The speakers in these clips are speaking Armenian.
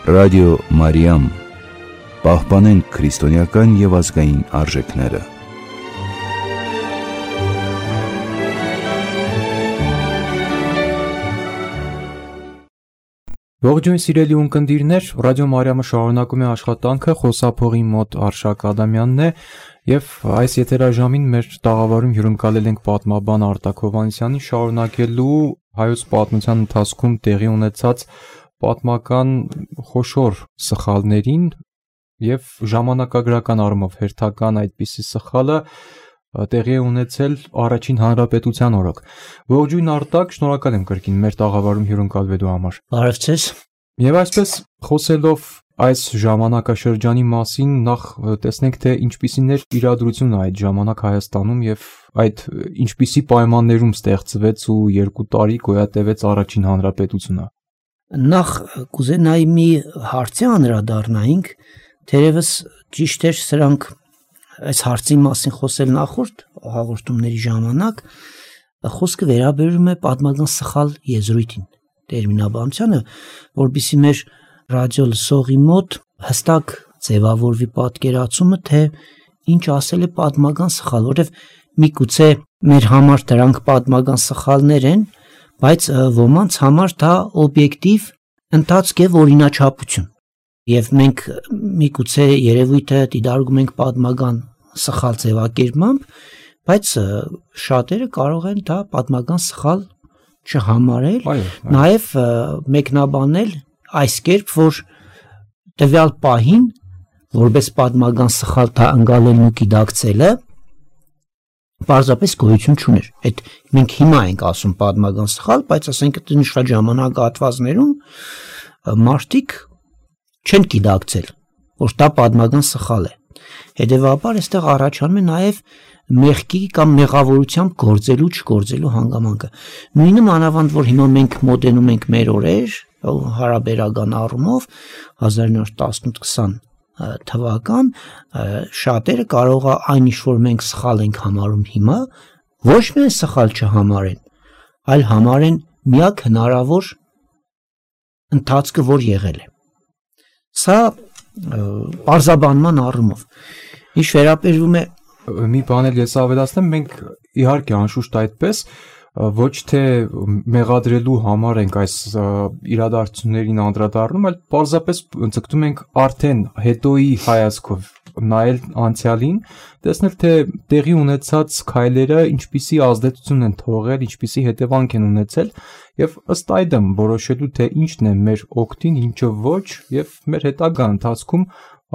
Ռադիո Մարիամ, պահպանենք քրիստոնեական և ազգային արժեքները։ Ողջույն սիրելի ունկնդիրներ, Ռադիո Մարիամը շարունակում է աշխատանքը, խոսափողի մոտ Արշակ Ադամյանն է և այս եթերաժամին մեր տաղավարում հյուրընկալել ենք պատմաբան Արտակ Հովհաննիսյանին շարունակելու հայոց պատմության ընթացքում տեղի ունեցած պատմական խոշոր սխալներին և ժամանակագրական առումով հերթական այդպիսի սխալը տեղի է ունեցել առաջին հանրապետության օրոք։ Ողջույն Արտակ, շնորհակալ եմ կրկին մեր տաղավարում հյուրընկալվելու համար։ Բարև ձեզ։ Եվ այսպես խոսելով այս ժամանակաշրջանի մասին, նախ տեսնենք, թե ինչպիսին էր իրադրությունը այդ ժամանակ Հայաստանում և այդ ինչպիսի պայմաններում ստեղծվեց ու 2 տարի գոյատևեց առաջին հանրապետությունը։ Նախ կուզենայի մի հարցի անդրադառնայինք, թերևս ճիշտ էր սրանք այս հարցի մասին խոսել նախորդ հաղորդումների ժամանակ, խոսքը վերաբերում է պատմական սխալ եզրույթին, տերմինաբանությանը, որպեսզի մեր ռադիո լսողի մոտ հստակ ձևավորվի պատկերացումը, թե ինչ ասել է պատմական սխալ, որովհետև միգուցե մեր համար դրանք պատմական սխալներ են, բայց ոմանց համար դա օբյեկտիվ ընթացք է օրինաչափություն։ Եվ մենք միգուցե երևույթը դիտարկում ենք պատմական սխալ ձևակերպմամբ, բայց շատերը կարող են դա պատմական սխալ չհամարել, նաև մեկնաբանել այս կերպ, որ տվյալ պահին որպես պատմական սխալ դա ընկալելն ու գիտակցելը պարզապես գոյություն չուներ։ Այդ մենք հիմա ենք ասում պատմական սխալ, բայց ասենք նշված ժամանակահատվածներում մարդիկ չեն գիտակցել, որ դա պատմական սխալ է։ Հետևաբար այստեղ առաջանում է նաև մեղքի կամ մեղավորությամբ գործելու չգործելու հանգամանքը։ Նույնը մանավանդ, որ հիմա մենք մոտենում ենք մեր օրեր, հարաբերական առումով 1918-20 թվական, շատերը կարող է այն ինչ որ մենք սխալ ենք համարում հիմա, ոչ միայն սխալ չհամարեն, այլ համարեն միակ հնարավոր ընթացքը, որ եղել է։ Սա պարզաբանման առումով։ Ինչ վերաբերում է մի բան էլ ես ավելացնեմ, մենք իհարկե անշուշտ այդպես ոչ թե մեղադրելու համար ենք այս իրադարձություններին անդրադառնում, այլ պարզապես ձգտում ենք արդեն հետոյի հայացքով նայել անցյալին, տեսնել թե տեղի ունեցած քայլերը ինչպիսի ազդեցություն են թողել, ինչպիսի հետևանք են ունեցել եւ ըստ այդմ որոշելու թե ինչն է մեր օգտին, ինչը ոչ եւ մեր հետագա ընթացքում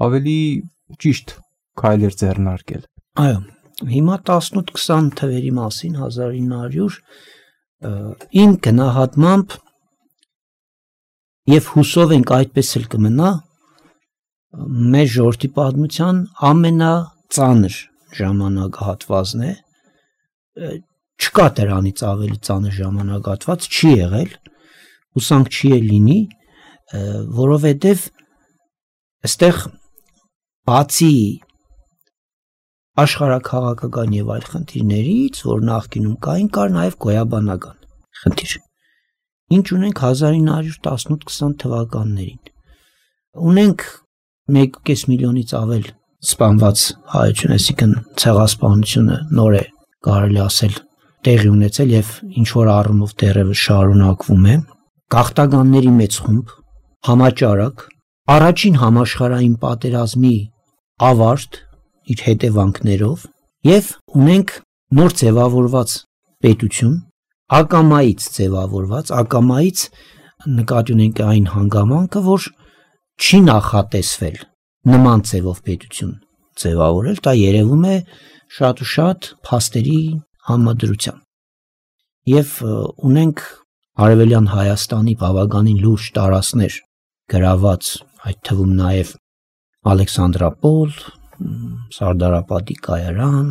ավելի ճիշտ քայլեր ձեռնարկել։ Այո, հիմա 18-20 թվերի մասին 1900 իմ գնահատմամբ եւ հուսով ենք այդպես էլ կմնա մեր ժողովրդի պատմության ամենածանր ժամանակահատվածն է, չկա դրանից ավելի ծանր ժամանակահատված չի եղել, հուսանք չի էլ լինի, որովհետեւ այստեղ բացի աշխարհաքաղաքական եւ այլ խնդիրներից, որ նախկինում կային, կար նաեւ գոյաբանական խնդիր։ Ինչ ունենք 1918-20 թվականներին։ Ունենք 1.5 միլիոնից ավել սպանված հայություն, այսինքն ցեղասպանությունը նոր է կարելի ասել տեղի ունեցել եւ ինչ որ առումով դեռևս շարունակվում է։ Գաղթականների մեծ խումբ, համաճարակ, առաջին համաշխարհային պատերազմի ավարտ իր հետևանքներով եւ ունենք նոր ձևավորված պետություն, ակամայից ձևավորված, ակամայից նկատի ունենք այն հանգամանքը, որ չի նախատեսվել նման ձևով պետություն ձևավորել, դա երևում է շատ ու շատ փաստերի համադրությամբ։ Եվ ունենք Արևելյան Հայաստանի բավականին լուրջ տարածքներ գրաված, այդ թվում նաև Ալեքսանդրապոլ, Սարդարապատի կայարան,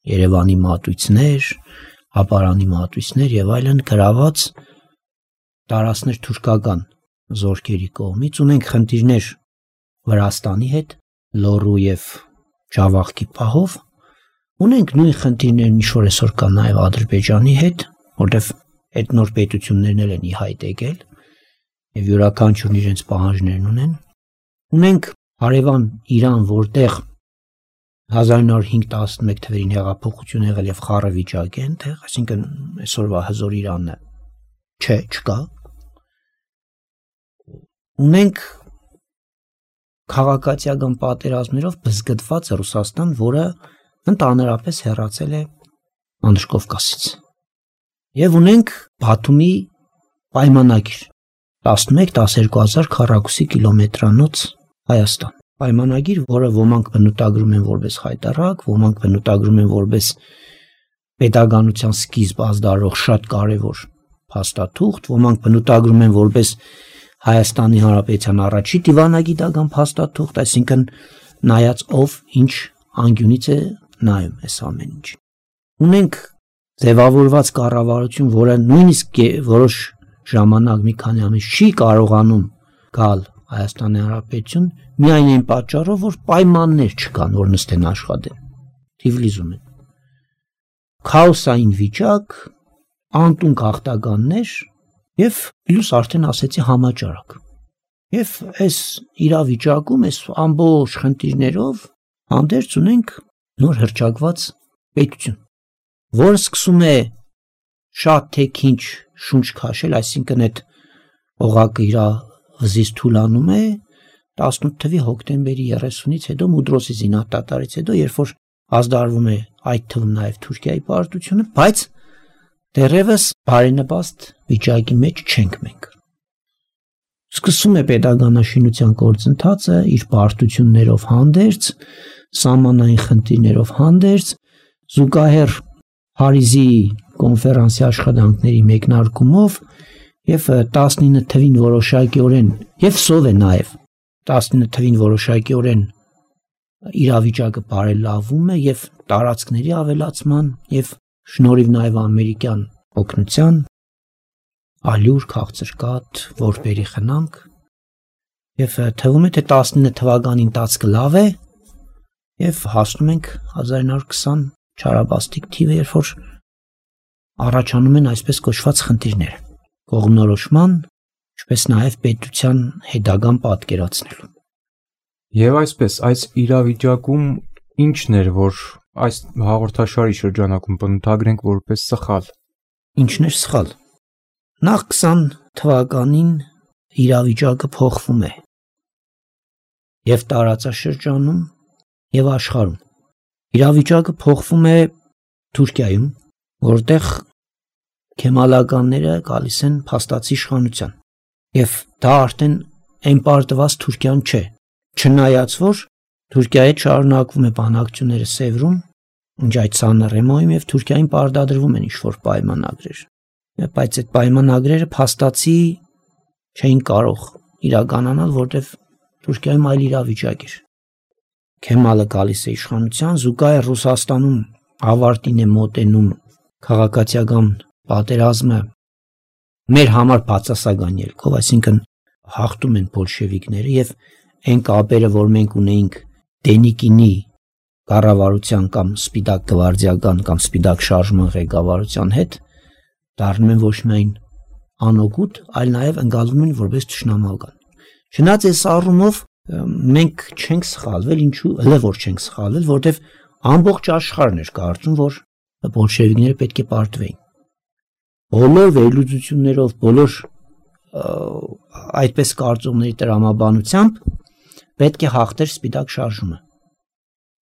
Երևանի մատույցներ, Ապարանի մատույցներ եւ այլն գրաված տարածքներ թուրքական զորքերի կողմից, ունենք խնդիրներ Վրաստանի հետ, Լոռու եւ Ջավախքի պահով, ունենք նույն խնդիրներն ինչ որ այսօր կա նաեւ Ադրբեջանի հետ, որտեվ այդ նոր պետություններն են ի հայտ եկել եւ յուրաքանչյուրն իրենց պահանջներն ունեն, Ունենք հարևան Իրան, որտեղ 1905-11 թվերին հեղափոխություն եղել եւ խառը վիճակ է այնտեղ, այսինքն այսօրվա հզոր Իրանն չկա։ Ունենք քաղաքացիական պատերազմներով բզգտված Ռուսաստան, որը ընդհանրապես հեռացել է Մանուշ Կովկասից։ Եվ ունենք Բաթումի պայմանագիր 11-12 քառակուսի կիլոմետրանոց Հայաստան։ Պայմանագիր, որը ոմանք բնութագրում են որպես խայտառակ, ոմանք բնութագրում են որպես պետականության սկիզբ ազդարող շատ կարևոր փաստաթուղթ, ոմանք բնութագրում են որպես Հայաստանի Հանրապետության առաջի դիվանագիտական փաստաթուղթ, այսինքն նայած ով ինչ անկյունից է նայում այս ամեն ինչ։ Ունենք ձևավորված կառավարություն, որը նույնիսկ որոշ ժամանակ մի քանի ամիս չի կարողանում գալ Հայաստանի Հանրապետություն միայն այն պատճառով, որ պայմաններ չկան, որ նստեն աշխատեն։ Թիվլիզում են։ Քաոսային վիճակ, անտուն գաղթականներ եւ պլյուս արդեն ասեցի համաճարակ։ Եվ այս իրավիճակում, այս ամբողջ խնդիրներով հանդերձ ունենք նոր հռչակված պետություն, որը սկսում է շատ թե քիչ շունչ քաշել, այսինքն այդ օղակը իր վզից թուլանում է 18 թվականի հոկտեմբերի 30-ից հետո Մուդրոսի զինադատարից հետո, երբ որ ազդարվում է այդ թվում նաև Թուրքիայի պարտությունը, բայց դեռևս բարենպաստ վիճակի մեջ չենք մենք։ Սկսում է պետականաշինության գործընթացը իր պարտություններով հանդերձ, սահմանային խնդիրներով հանդերձ, զուգահեռ Փարիզի կոնֆերանսի աշխատանքների մեկնարկումով եւ 19 թվին որոշակիորեն եւ սով է նաեւ 19 թվին որոշակիորեն իրավիճակը բարելավում է եւ տարածքների ավելացման եւ շնորհիվ նաեւ ամերիկյան օգնության ալյուր քաղցրկատ որբերի խնամք եւ թվում է թե 19 թվականի ընթացքը լավ է եւ հասնում ենք 1920 չարաբաստիկ թիվը, երբ որ առաջանում են այսպես կոչված խնդիրներ կողմնորոշման, ինչպես նաև պետության հետագան պատկերացնելու։ Եվ այսպես, այս իրավիճակում ինչն էր, որ այս հաղորդաշարի շրջանակում բնութագրենք որպես սխալ։ Ինչն էր սխալ։ Նախ 20 թվականին իրավիճակը փոխվում է եւ տարածաշրջանում եւ աշխարհում։ Իրավիճակը փոխվում է Թուրքիայում, որտեղ քեմալականները գալիս են փաստացի իշխանության։ Եվ դա արդեն այն պարտված Թուրքիան չէ, չնայած որ Թուրքիայի շարունակվում է բանակցությունները Սևրում, ինչ այդ Սանրեմոյում եւ Թուրքիային պարտադրվում են ինչ-որ պայմանագրեր։ Բայց այդ պայմանագրերը փաստացի չէին կարող իրականանալ, որտեղ Թուրքիայում այլ իրավիճակ էր։ Քեմալը գալիս է իշխանության, զուգահեռ Ռուսաստանում ավարտին է մոտենում քաղաքացիական պատերազմը մեր համար բացասական ելքով, այսինքն հաղթում են բոլշևիկները եւ այն կապերը, որ մենք ունեինք Դենիկինի կառավարության կամ Սպիտակ գվարդիական կամ Սպիտակ շարժման ղեկավարության հետ, դառնում են ոչ միայն անօգուտ, այլ նաեւ ընկալվում են որպես ճշնամական։ Չնայած այս առումով մենք չենք սխալվել, ինչու հələ որ չենք սխալվել, որտեվ ամբողջ աշխարհն էր կարծում, որ բոլշևիկները պետք է պարտվեին։ Բոլոր վերլուծություններով, բոլոր այդպես կարծողների տրամաբանությամբ պետք է հաղթեր Սպիտակ շարժումը,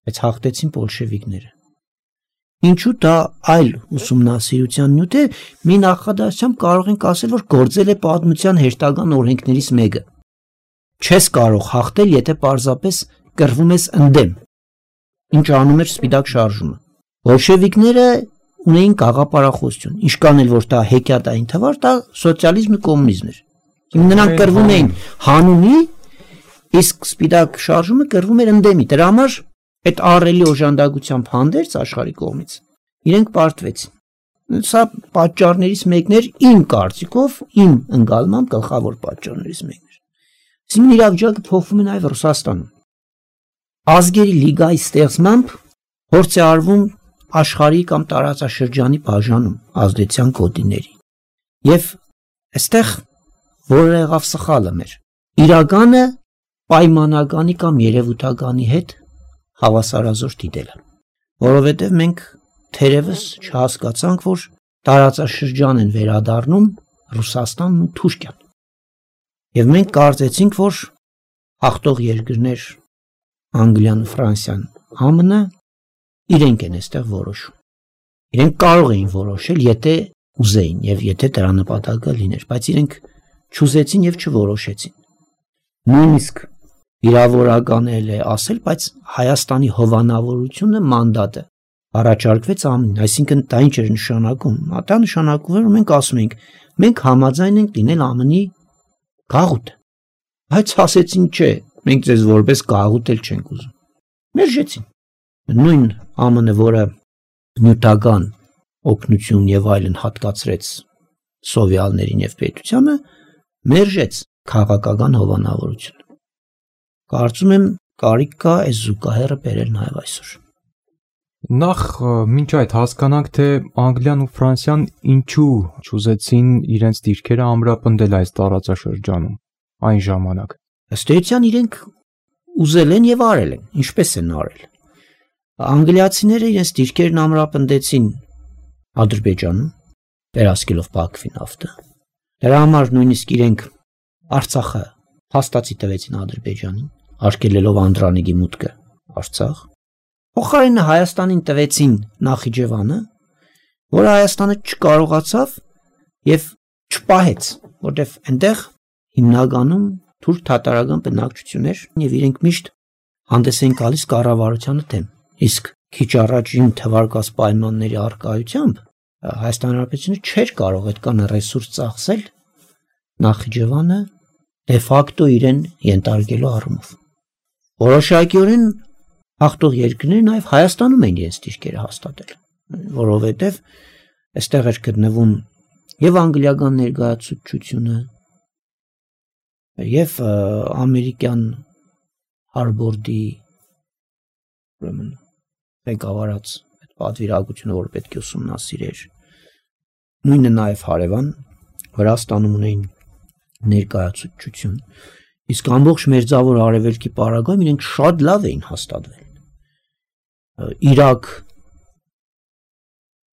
բայց հաղթեցին բոլշևիկները։ Ինչու դա այլ ուսումնասիրության նյութ է, մի նախադասությամբ կարող ենք ասել, որ գործել է պատմության հերթական օրենքներից մեկը։ Չես կարող հաղթել, եթե պարզապես կռվում ես ընդդեմ, ինչ անում էր Սպիտակ շարժումը։ Բոլշևիկները ունեին գաղափարախոսություն, ինչքան էլ որ դա հեքիաթային թվար, դա սոցիալիզմն ու կոմունիզմն էր։ Նրանք կռվում էին հանունի, իսկ Սպիտակ շարժումը կռվում էր ընդդեմի։ Դրա համար այդ ահռելի օժանդակությամբ հանդերձ աշխարհի կողմից իրենք պարտվեցին։ Սա պատճառներից մեկն էր իմ կարծիքով, իմ ընկալմամբ գլխավոր պատճառներից մեկն էր։ Այսինքն իրավիճակը փոխվում է նաև Ռուսաստանում։ Ազգերի լիգայի ստեղծմամբ փորձ է արվում աշխարհի կամ տարածաշրջանի բաժանում ազդեցության կոդիների։ Եվ այստեղ որը եղավ սխալը մեր։ Իրականը պայմանագանի կամ երևութագանի հետ հավասարազոր դիտելը, որովհետև մենք թերևս չհասկացանք, որ տարածաշրջան են վերադառնում Ռուսաստանն ու Թուրքիան։ Եվ մենք կարծեցինք, որ հաղթող երկրներ Անգլիան ու Ֆրանսիան, ԱՄՆ-ը իրենք են այստեղ որոշում։ Իրենք կարող էին որոշել, եթե ուզեին եւ եթե դրա նպատակը լիներ, բայց իրենք չուզեցին եւ չորոշեցին։ Նույնիսկ իրավորական է ասել, բայց Հայաստանի հովանավորությունը մանդատը առաջարկվեց ԱՄՆ-ին, այսինքն դա ինչ էր նշանակում։ Դա նշանակում էր, որ մենք ասում ենք, մենք համաձայն ենք լինել ԱՄՆ-ի գաղութը։ Բայց ասեցին չէ, մենք ձեզ որպես գաղութ էլ չենք ուզում։ Մերժեցին։ Նույն ԱՄՆ-ը, որը նյութական օգնություն եւ այլն հատկացրեց սովետներին եւ պետությանը, մերժեց քաղաքական հովանավորությունը։ Կարծում եմ կարիք կա այս զուգահեռը բերել նաեւ այսօր։ Նախ մինչ այդ հասկանանք, թե Անգլիան ու Ֆրանսիան ինչու չուզեցին իրենց դիրքերը ամրապնդել այս տարածաշրջանում այն ժամանակ։ Ըստ էության իրենք ուզել են եւ արել են, ինչպես են արել։ Անգլիացիները իրենց դիրքերն ամրապնդեցին Ադրբեջանում, վերահսկելով Բաքվի նավթը։ Դրա համար նույնիսկ իրենք Արցախը հաստատի տվեցին Ադրբեջանին, արգելելով Անդրանիկի մուտքը Արցախ։ Փոխարենը Հայաստանին տվեցին Նախիջևանը, որը Հայաստանը չկարողացավ եւ չպահեց, որտեղ այնտեղ հիմնականում թուրք-թաթարական բնակչություններ եւ իրենք միշտ հանդես են գալիս կառավարությանը դեմ։ Իսկ քիչ առաջին թվարկած պայմանների առկայությամբ Հայաստան Հանրապետությունը չէր կարող այդքան ռեսուրս ծախսել Նախիջևանը դե ֆակտո իրեն ենթարկելու առումով։ Որոշակիորեն հաղթող երկրները նաև Հայաստանում են իրենց դիրքերը հաստատել, որովհետև այստեղ էր գտնվում եւ անգլիական ներկայացուցչությունը եւ ամերիկյան Հարբորդի ուրեմն ղեկավարած այդ պատվիրակությունը, որ պետք է ուսումնասիրեր, նույնը նաև հարևան Վրաստանում ունեին ներկայացուցչություն, իսկ ամբողջ մերձավոր արևելքի պարագայում իրենք շատ լավ էին հաստատվել։ Իրաք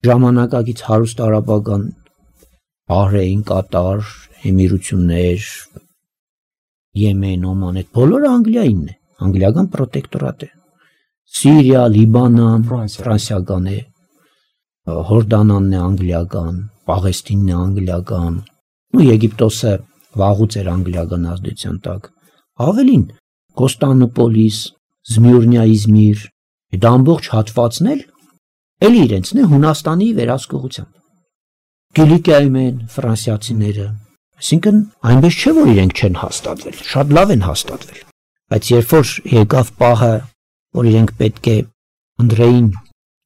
ժամանակակից հարուստ արաբական Բահրեյն, Կատար, Էմիրություններ, Եմեն, Օման, այդ բոլորը Անգլիայինն է, անգլիական պրոտեկտորատ է։ Սիրիա, Լիբանան, ֆրանսիական է, Հորդանանն է անգլիական, Պաղեստինն է անգլիական, ու Եգիպտոսը վաղուց էր անգլիական ազդեցության տակ։ Ավելին, Կոստանդնուպոլիս, Զմյուրնիա, Իզմիր, այդ ամբողջ հատվածն էլ իրենցն է Հունաստանի վերահսկողությամբ։ Կիլիկիայում են ֆրանսիացիները, այսինքն այնպես չէ, որ իրենք չեն հաստատվել, շատ լավ են հաստատվել, բայց երբ որ եկավ պահը, որ իրենք պետք է ընտրեին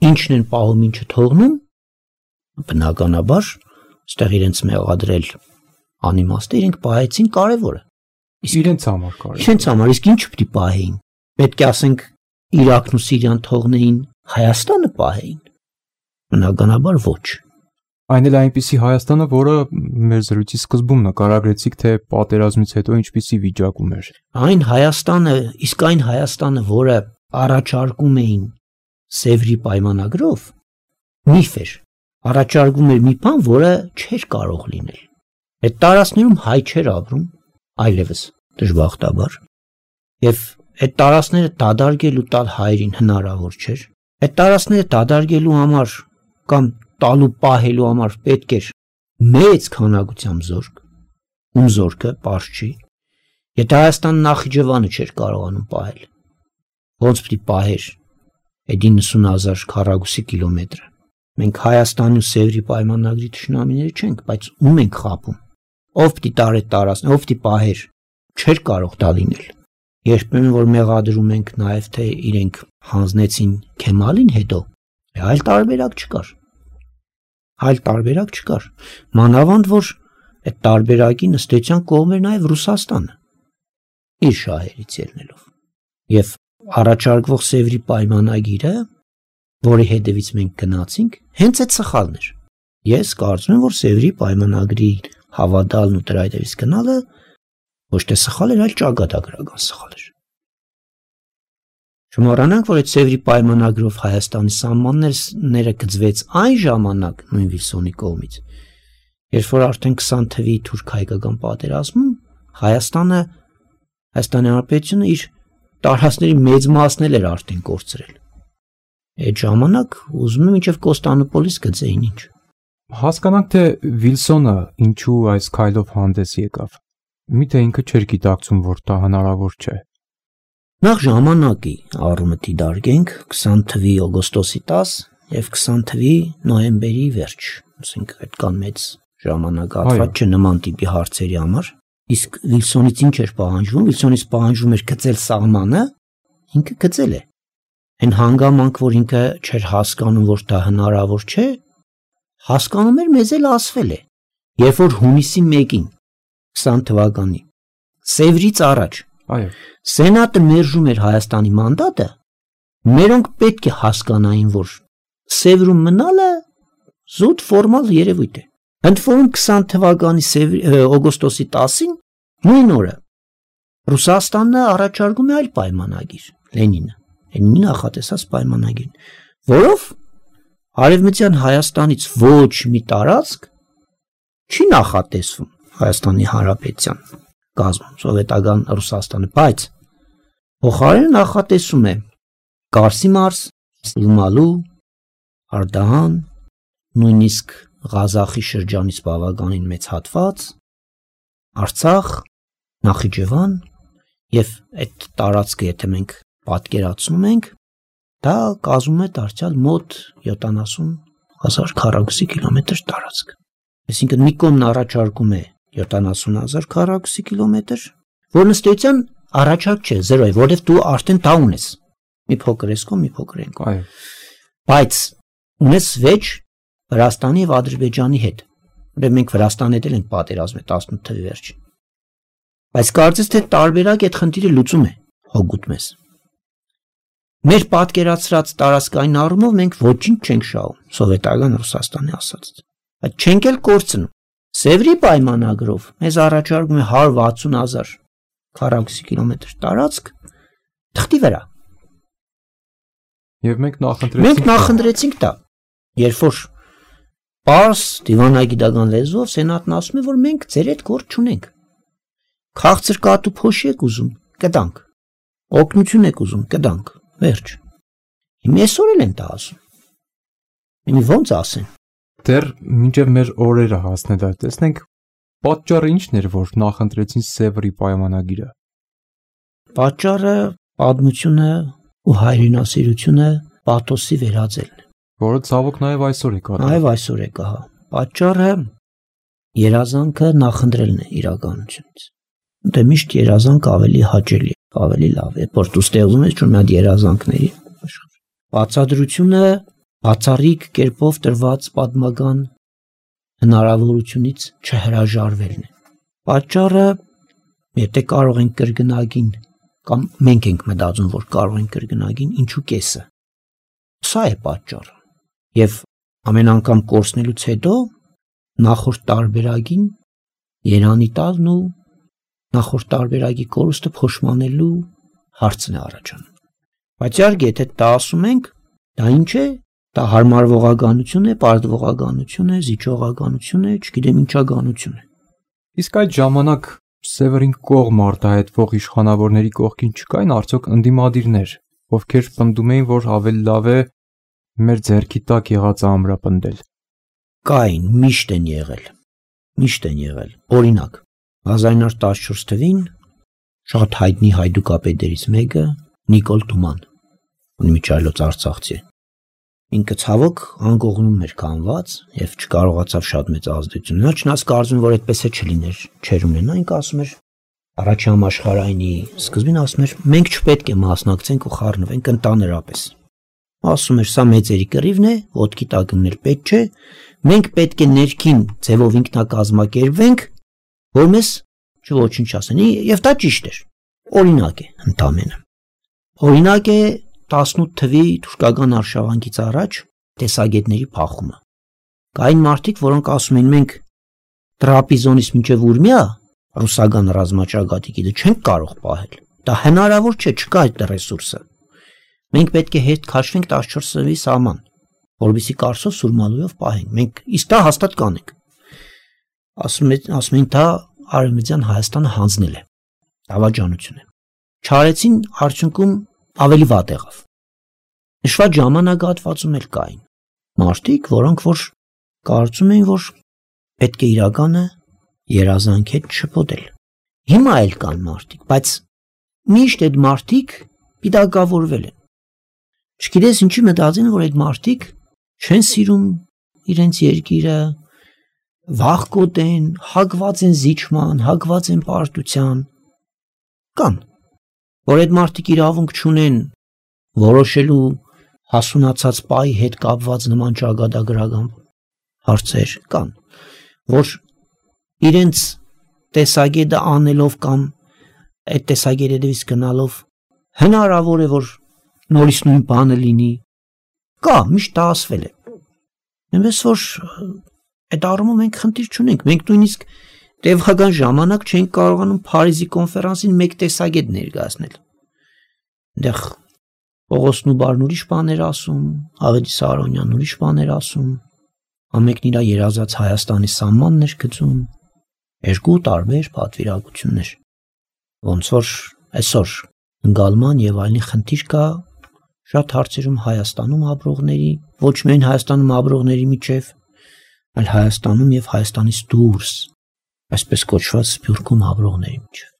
ինչն են պահում, ինչը թողնում, բնականաբար այստեղ իրենց մեղադրել անիմաստ է, իրենք պահեցին կարևորը։ Իսկ իրենց համար կարևոր։ Իրենց համար, իսկ ինչ պիտի պահեին։ Պետք է ասենք Իրաքն ու Սիրիան թողնեին, Հայաստանը պահեին։ Բնականաբար ոչ։ Այն էլ այնպիսի Հայաստանը, որը մեր զրույցի սկզբում նկարագրեցիք, թե պատերազմից հետո ինչպիսի վիճակում էր։ Այն Հայաստանը, իսկ այն Հայաստանը, որը առաջարկում էին Սևրի պայմանագրով, միֆ էր։ Առաջարկում էր մի բան, որը չէր կարող լինել։ Այդ տարածքներում հայ չէր ապրում, այլևս դժբախտաբար։ Եվ այդ տարածքները դադարելու տալ հայերին հնարավոր չէր։ Այդ տարածքները դադարելու համար կամ տալու պահելու համար պետք էր մեծ քանակությամբ զորք, ում զորքը պարզ չի։ Եթե Հայաստանը Նախիջևանը չէր կարողանում պահել, ոնց պիտի պահեր այդ 90,000 քառակուսի կիլոմետրը։ Մենք Հայաստանի ու Սևրի պայմանագրի թշնամիները չենք, բայց ում ենք խաբում։ Ով պիտի տար այդ տարածքն, ով պիտի պահեր, չէր կարող դա լինել։ Երբեմն որ մեղադրում ենք նաև թե իրենք հանձնեցին Քեմալին հետո, այլ տարբերակ չկար։ Այլ տարբերակ չկար։ Մանավանդ որ այդ տարբերակին ըստ էության կողմ էր նաև Ռուսաստանը իր շահերից ելնելով։ Եվ առաջարկվող Սևրի պայմանագիրը, որի հետևից մենք գնացինք, հենց այդ սխալն էր։ Ես կարծում եմ, որ Սևրի պայմանագրի հավատալն ու դրա հետևից գնալը Ոչ թե սխալ էր, այլ ճակատագրական սխալ էր։ Չմոռանանք, որ այդ Սևրի պայմանագրով Հայաստանի սահմանները գծվեց այն ժամանակ նույն Վիլսոնի կողմից, երբ որ արդեն 20 թվականի թուրք-հայկական պատերազմում Հայաստանի Հանրապետությունը իր տարածքների մեծ մասն էր արդեն կորցրել։ Այդ ժամանակ ուզում եմ մինչև Կոստանդնուպոլիս գծեին ինչ։ Հասկանանք, թե Վիլսոնը ինչու այս քայլով հանդես եկավ։ Միթե ինքը չէր գիտակցում, որ դա հնարավոր չէ։ Նախ ժամանակի առումտի դարգենք 20 թվականի օգոստոսի 10 եւ 20 թվականի նոյեմբերի վերջ, ասենք այդքան մեծ ժամանակահատված չէ նման տիպի հարցերի համար։ Իսկ Վիլսոնից ինչ էր պահանջվում։ Վիլսոնից պահանջվում էր գծել սահմանը, ինքը գծել է։ Այն հանգամանք, որ ինքը չէր հասկանում, որ դա հնարավոր չէ, հասկանում էր, մեզ էլ ասվել է։ Երբ որ հունիսի 1-ին 20 թվականի Սևրից առաջ Սենատը մերժում էր Հայաստանի մանդատը, մերոնք պետք է հասկանային, որ Սևրում մնալը զուտ ֆորմալ երևույթ է։ Ընդ որում 20 թվականի օգոստոսի 10-ին նույն օրը Ռուսաստանը առաջարկում է այլ պայմանագիր, Լենինի նախատեսած պայմանագիր, որով Արևմտյան Հայաստանից ոչ մի տարածք չի նախատեսվում Հայաստանի Հանրապետության կազմում, սովետական Ռուսաստանը, բայց փոխարենը նախատեսում է Կարսի մարզ, Սիմալու, Արդահան, նույնիսկ Ղազախի շրջանից բավականին մեծ հատված, Արցախ, Նախիջևան եւ այդ տարածքը, եթե մենք պատկերացնում ենք, դա կազմում է դարձյալ մոտ 70,000 քառակուսի կիլոմետր տարածք։ Այսինքն մի կողմն առաջարկում է 70,000 քառակուսի կիլոմետր, որ ըստեյության առաջարկ չէ, զերո է, որովհետև դու արդեն դա ունես։ Մի փոքր ես կողմ, մի փոքր են կողմ։ Բայց ունես վեճ Վրաստանի եւ Ադրբեջանի հետ։ Ուրեմն մենք Վրաստանի հետ ենք պատերազմել 18 թվականի վերջին։ Բայց կարծես թե տարբերակ այդ խնդիրը լուծում է, հոգուտ մեզ։ Մեր պատկերացրած տարածքային առումով մենք ոչինչ չենք շահում, սովետական Ռուսաստանի ասած։ Բայց չենք էլ կորցնում։ Սևրի պայմանագրով մեզ առաջարկում է 160,000 քառակուսի կիլոմետր տարածք թղթի վրա։ Եվ մենք նախընտրեցինք դա։ Երբ որ պարզ դիվանագիտական լեզվով սենատն ասում է, որ մենք ձեր հետ գործ չունենք։ Քաղցր կատու փոշի եք ուզում, կտանք։ Օգնություն եք ուզում, կտանք։ Վերջ։ Հիմա այսօր էլ են դա ասում։ Իմի ոնց ասեն։ Դեռ մինչև մեր օրերը հասնել այդ տեսնենք պատճառը ինչն էր, որ նախընտրեցին Սևրի պայմանագիրը։ Պատճառը պատմությունը ու հայրենասիրությունը պաթոսի վերածելն է, որը ցավոք նաև այսօր է կա։ Նաև այսօր է կա։ Պատճառը երազանքը նախընտրելն է իրականությունից։ Դե միշտ երազանք ավելի հաճելի, ավելի լավ է, որ դու ստեղծում ես մի հատ երազանքների աշխարհ։ Բացատրությունը բացառիկ կերպով տրված պատմական հնարավորությունից չհրաժարվելն է։ Պատճառը, եթե կարող ենք կրկնագին կամ մենք ենք մտածում, որ կարող ենք կրկնագին, ինչու կեսը։ Սա է պատճառը։ Եվ ամեն անգամ կորցնելուց հետո նախորդ տարբերակին երանի տալն ու նախորդ տարբերակի կորուստը փոշմանելու հարցն է առաջանում։ Բայց իհարկե, եթե դա ասում ենք, դա ինչ է, դա հարմարվողականություն է, պարտվողականություն է, զիջողականություն է, չգիտեմ ինչականություն է։ Իսկ այդ ժամանակ Սևրին կողմ արտահայտվող իշխանավորների կողքին չկային արդյոք ընդդիմադիրներ, ովքեր պնդում էին, որ ավելի լավ է մեր ձեռքի տակ եղածը ամրապնդել։ Կային, միշտ են եղել։ Օրինակ, 1914 թվականին շատ հայտնի հայդուկապետերից մեկը Նիկոլ Թուման, ունիմիջայլոց արցախցի։ Ինքը ցավոք անկողնում էր կանված եւ չկարողացավ շատ մեծ ազդեցություն ունենալ, չնայած կարծում որ այդպես է չլիներ, չեր ունենա, ինքը ասում էր առաջին համաշխարհայինի սկզբին ասում էր մենք չպետք է մասնակցենք ու խառնվենք ընդհանրապես։ Ասում էր սա մեծերի կռիվն է, ոտքի տակ ընկնել պետք չէ, մենք պետք է ներքին ձևով ինքնակազմակերպվենք, որ մեզ չոչինչ ասեն, եւ դա ճիշտ էր։ Օրինակ է ընդամենը։ Օրինակ է 18 թվականի թուրքական արշավանքից առաջ տեսագետների փախումը։ Կային մարդիկ, որոնք ասում են մենք Տրապիզոնից մինչև Ուրմիա ռուսական ռազմաճակատիկի դա չենք կարող պահել։ Դա հնարավոր չէ, չկա այդ ռեսուրսը։ Մենք պետք է հետ քաշվենք 14 սրվի սահման, որովհետեւ կարծով սուրմալույով պահենք։ Մենք իսկ դա հաստատ կանենք։ Ասում են դա Արևմտյան Հայաստանը հանձնել է։ Դավաճանություն է։ Չարեցին արդյունքում ավելի վատ եղավ։ Նշված ժամանակահատվածում էլ կային մարդիկ, որոնք որ կարծում էին, որ պետք է իրականը երազանքետ չփոթել։ Հիմա էլ կան մարդիկ, բայց միշտ այդ մարդիկ պիտակավորվել են։ Չգիտես ինչի մտածեն, որ այդ մարդիկ չեն սիրում իրենց երկիրը, վախկոտ են, հակված են զիջման, հակված են պարտության։ Կան, որ այդ մարդիկ իրավունք չունեն որոշելու հասունացած պայի հետ կապված նման ճակատագրական հարցեր կան, որ իրենց տեսակետը անելով կամ այդ տեսակետից գնալով հնարավոր է, որ նորից նույն բանը լինի, կա, միշտ դա ասվել է։ Այնպես որ այդ առումով մենք խնդիր չունենք, մենք նույնիսկ տևական ժամանակ չենք կարողանում Փարիզի կոնֆերանսին մեկ տեսակետ ներկայացնել։ Այնտեղ Պողոսն ու Բարն ուրիշ բաներ ասում, Ավետիս Սարոնյանն ուրիշ բաներ ասում, ամենքն իր երազած Հայաստանի սահմաններ գծում, երկու տարբեր պատվիրակություններ։ Ոնց որ այսօր ընկալման եւ այլն խնդիր կա շատ հարցերում Հայաստանում ապրողների, ոչ միայն Հայաստանում ապրողների միջև, այլ Հայաստանում եւ Հայաստանից դուրս, այսպես կոչված Սփյուռքում ապրողների միջև։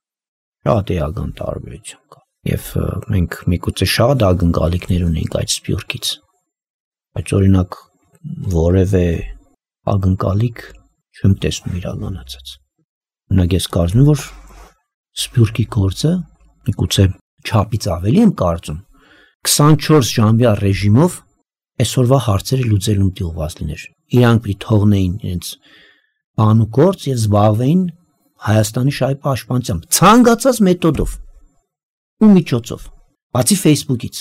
Շատ էական տարբերություն կա։ Եվ մենք միգուցե շատ ակնկալիքներ ունենք այդ Սփյուռքից, բայց օրինակ որևէ ակնկալիք չեմ տեսնում իրականացած։ Օրինակ ես կարծում եմ, որ Սփյուռքի գործը միգուցե չափից ավելի եմ կարծում 24 ժամյա ռեժիմով այսօրվա հարցերը լուծելուն դիողված լիներ։ Իրանք պիտի թողնեին իրենց բան ու գործ եւ զբաղվեին Հայաստանի շահի պաշտպանությամբ ցանկացած մեթոդով ու միջոցով, բացի Facebook-ից։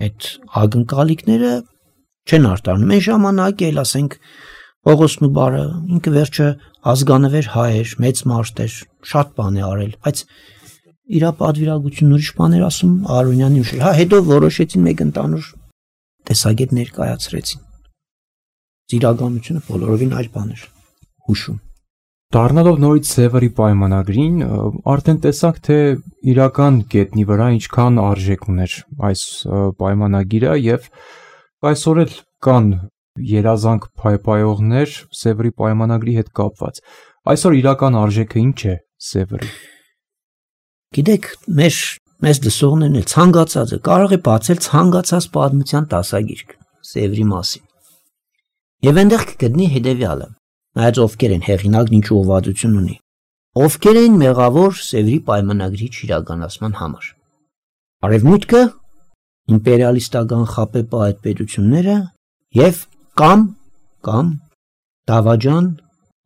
Այդ ակնկալիքները չեն արտարանում։ Այն ժամանակ էլ ասենք Պողոսն ու Բարը ինքը վերջը ազգանվեր հայ էր, մեծ մարդ էր, շատ բան է արել, բայց իր պատվիրակությունն ուրիշ բաներ ասում Արոնյանի ուշ։ Հա հետո որոշեցին մեկ ընդանուր տեսակետ ներկայացրեցին։ Իրականությունը բոլորովին այլ բան էր հուշում։ Դառնալով նորից Սևերի պայմանագրին, արդեն տեսանք, թե իրական գետնի վրա ինչքան արժեք ուներ այս պայմանագիրը եւ այսօր էլ կան երազանք փայփայողներ Սևերի պայմանագրի հետ կապված։ Այսօր իրական արժեքը ինչ է Սևերի։ Գիտեք, մեզ լսողներն էլ ցանկացածը կարող է բացել ցանկացած պատմության դասագիրք Սևերի մասին։ Եվ այնտեղ կգտնի հետևյալը. նայած ովքեր են հեղինակն ինչ ուղղվածություն ունի, ովքեր են մեղավոր Սևերի պայմանագրի իրականացման համար։ Արևմուտքը, իմպերիալիստական խապեպա այդ պետությունները եւ կամ դավաճան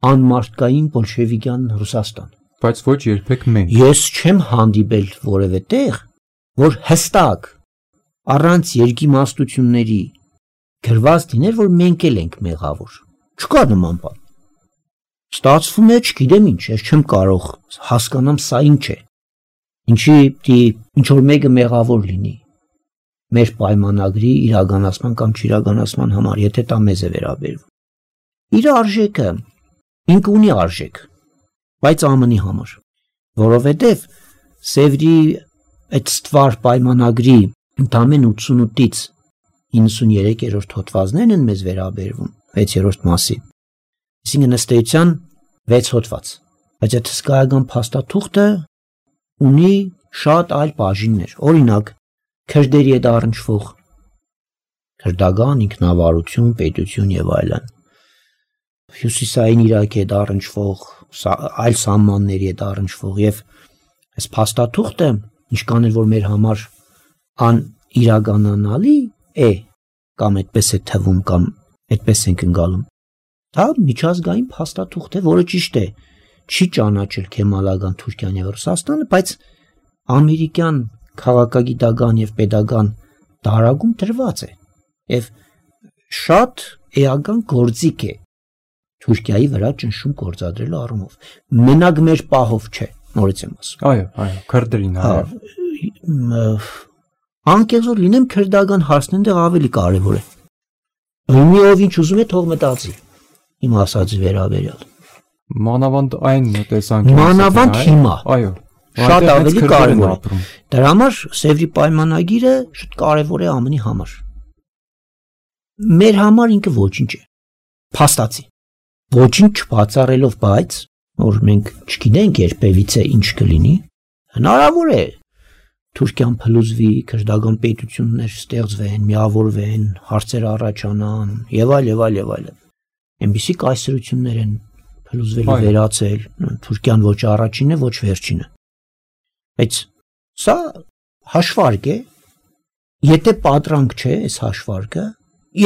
անմարտկային բոլշևիկյան Ռուսաստան։ Բայց ոչ երբեք մենք։ Ես չեմ հանդիպել որևէ տեղ, որ հստակ առանց երկիմաստությունների գրված լիներ, որ մենք էլ ենք մեղավոր։ Չկա նման բան։ Ստացվում է, չգիտեմ ինչ, ես չեմ կարող հասկանամ սա ինչ է։ Ինչի ինչ որ մեկը մեղավոր լինի մեր պայմանագրի իրականացման կամ չիրականացման համար, եթե դա մեզ է վերաբերվում։ Իր արժեքը ինքը ունի արժեք, բայց ԱՄՆ-ի համար, որովհետև Սևերի այդ ստվար պայմանագրի ընդամենը 88-ից 93-րդ հոդվածներն են մեզ վերաբերվում 6-րդ մասի։ Այսինքն ըստ էության 6 հոդված, բայց այդ հսկայական փաստաթուղթը ունի շատ այլ բաժիններ, օրինակ քրդերի հետ առնչվող քրդական ինքնավարություն, պետություն եւ այլն, հյուսիսային Իրաքի հետ առնչվող այլ սահմանների հետ առնչվող եւ այս փաստաթուղթը ինչքան էլ որ մեր համար անիրականանալի է կամ այդպես է թվում կամ այդպես ենք ընկալում, դա միջազգային փաստաթուղթ է, որը ճիշտ է չի ճանաչել Քեմալական Թուրքիան եւ Ռուսաստանը, բայց ամերիկյան քաղաքագիտական եւ պետական դարագում դրված է եւ շատ էական գործիք է Թուրքիայի վրա ճնշում գործադրելու առումով։ Մենակ մեր պահով չէ, նորից եմ ասում։ Այո, քրդերին Անկեղծոր լինեմ, քրդական հարցն այնտեղ ավելի կարևոր է։ Ումի ով ինչ ուզում է, թող մտածի։ Իմ ասածի վերաբերյալ։ Մանավանդ այն տեսանկյունից։ Մանավանդ հիմա։ Այո։ Շատ ավելի կարևոր է։ Դրա համար Սևրի պայմանագիրը շատ կարևոր է ԱՄՆ-ի համար։ Մեր համար ինքը ոչինչ է։ Փաստացի։ Ոչինչ չբացառելով, բայց որ մենք չգիտենք երբևիցե ինչ կլինի, հնարավոր է Թուրքիան փլուզվի, քրդական պետություններ ստեղծվեն, միավորվեն, հարցեր առաջանան եւ այլ։ Այնպիսի կայսրություններ են փլուզվելու վերացել, Թուրքիան ոչ առաջինն է, ոչ վերջինը։ Բայց սա հաշվարկ է, եթե պատրանք չէ այս հաշվարկը,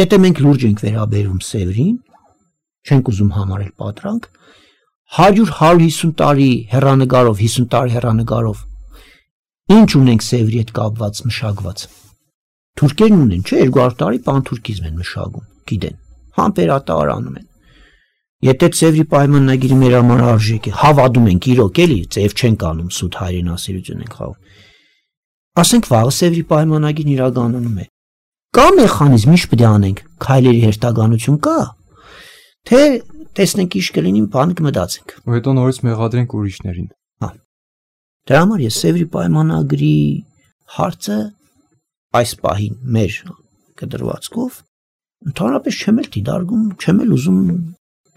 եթե մենք լուրջ ենք վերաբերում Սևրին, չենք ուզում համարել պատրանք, 100-150 տարի հեռանկարով, 50 տարի հեռանկարով ինչ ունենք Սևրի հետ կապված մշակված։ Թուրքերն ունեն, չէ, 200 տարի պանթուրքիզմ են մշակում, գիտեն, համբերատար անում են։ Եթե Սևրի պայմանագիրը մեր համար արժեք է, հավատում ենք իրոք էլի, ձև չենք անում, սուտ հայրենասիրություն ենք խաղում։ Ասենք վաղը Սևրի պայմանագիրն իրականանում է։ Կա մեխանիզմ, ինչ պետք է անենք, քայլերի հերթականություն կա, թե տեսնենք ինչ կլինի, բան կմտածենք։ Ու հետո նորից մեղադրենք ուրիշներին։ Դրա համար ես Սևրի պայմանագրի հարցը այս պահին մեր կդրվածքով ընդհանրապես չեմ էլ դիտարկում, չեմ էլ ուզում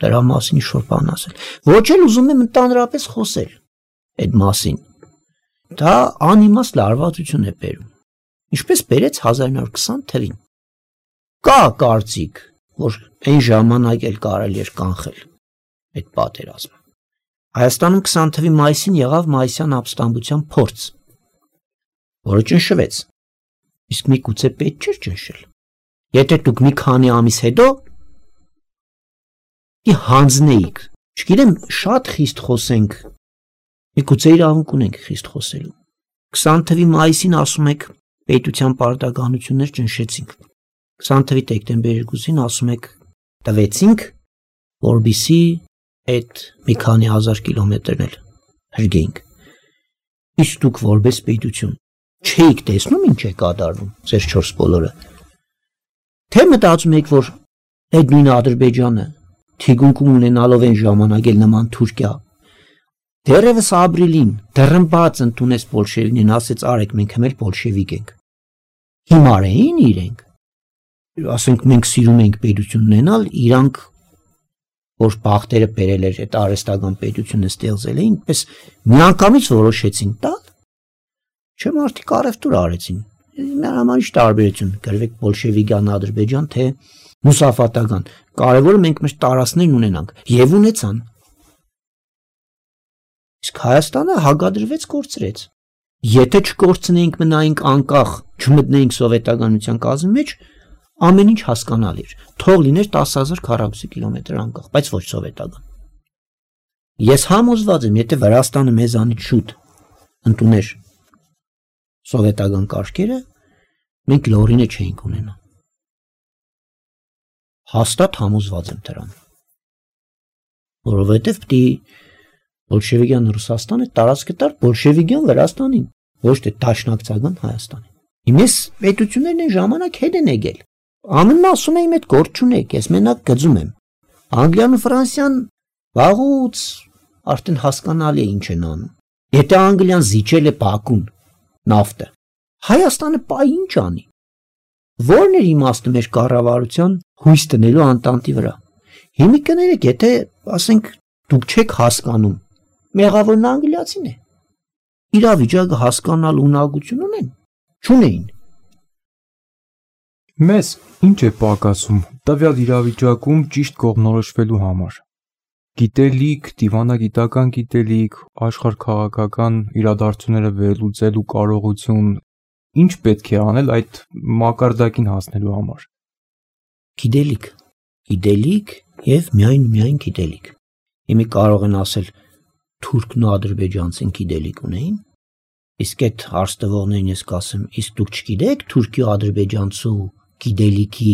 դրա մասին ինչ-որ բան ասել։ Ոչ էլ ուզում եմ ընդհանրապես խոսել այդ մասին։ Դա անիմաստ լարվածություն է բերում։ Ինչպես բերեց 1920 թվին։ Կա կարծիք, որ այն ժամանակ էլ կարելի էր կանխել այդ պատերազմը։ Հայաստանում 20 թվի մայիսին եղավ մայիսյան ապստամբության փորձ, որը ճնշվեց։ Իսկ միգուցե պետք չէր ճնշել։ Եթե դուք մի քանի ամիս հետո հանձնեիք, չգիտեմ, շատ խիստ խոսենք, միգուցե իրավունք ունենք խիստ խոսելու։ 20 թվի մայիսին ասում եք պետության պարտականություններ ճնշեցինք։ 20 թվի դեկտեմբեր 2-ին ասում եք տվեցինք, որբիսի այդ մի քանի հազար կիլոմետրն էլ հրգեինք։ Իսկ դուք որպես պետություն չէիք տեսնում ինչ է կատարվում ձեր 4 բոլորը։ Թե մտածում եք, որ այդ նույն Ադրբեջանը թիգունքում ունենալով այն ժամանակ էլ նման Թուրքիա դեռևս ապրիլին դռնբաց ընդունեց բոլշևիկին, ասեց արեք մենք հմել բոլշևիկ ենք։ Հիմար էին իրենք։ Ասենք մենք սիրում ենք պետություն ունենալ, իրանք որ բախտերը բերել էր այդ արհեստական պետությունը ստեղծել էին, պես միանգամից որոշեցին տալ։ Չէ՞ մարդիկ առևտուր արեցին։ Մեր համար ինչ տարբերություն գրվեք բոլշևիկյան Ադրբեջան թե մուսաֆատական։ Կարևորը մենք մեր տարածքներն ունենանք եւ ունեցան։ Իսկ Հայաստանը հագադրվեց կորցրեց։ Եթե չկորցնեինք մնայինք անկախ, չմտնեինք սովետականության կազմի մեջ, ամեն ինչ հասկանալի էր։ Թող լիներ 10,000 քառակուսի կիլոմետր անկախ, բայց ոչ սովետական։ Ես համոզված եմ, եթե Վրաստանը մեզանից շուտ ընդուներ սովետական կարգերը, մենք լորինը չէինք ունենա։ Հաստատ համոզված եմ դրան։ Որովհետև պիտի բոլշևիկյան Ռուսաստանը տարածքը տար բոլշևիկյան Վրաստանին, ոչ թե դաշնակցական Հայաստանին։ Հիմես պետություններն այն ժամանակ հետ են եկել։ ԱՄՆ-ն ասում է իմ այդ գործ չունեք, ես մենակ գծում եմ։ Անգլիան ու Ֆրանսիան վաղուց արդեն հասկանալի է ինչ են անում։ Եթե Անգլիան զիջել է Բաքուն նավթը, Հայաստանը պայ ինչ անի։ Որն էր իմաստը մեր կառավարության հույս տնելու Անտանտի վրա։ Հիմա կներեք, եթե ասենք դուք չեք հասկանում, մեղավորն անգլիացին է։ Իրավիճակը հասկանալ ունակություն ունեն, չունեին։ Մեզ ինչ է պակասում տվյալ իրավիճակում ճիշտ կողմնորոշվելու համար։ Գիտելիք, դիվանագիտական գիտելիք, աշխարհքաղաքական իրադարձությունները վերլուծելու կարողություն, ինչ պետք է անել այդ մակարդակին հասնելու համար։ Գիտելիք եւ միայն գիտելիք։ Հիմա կարող են ասել թուրքն ու ադրբեջանցին գիտելիք ունեին, իսկ այդ հարց տվողներին ես կասեմ, իսկ դուք չգիտեք թուրքի ու ադրբեջանցու գիտելիքի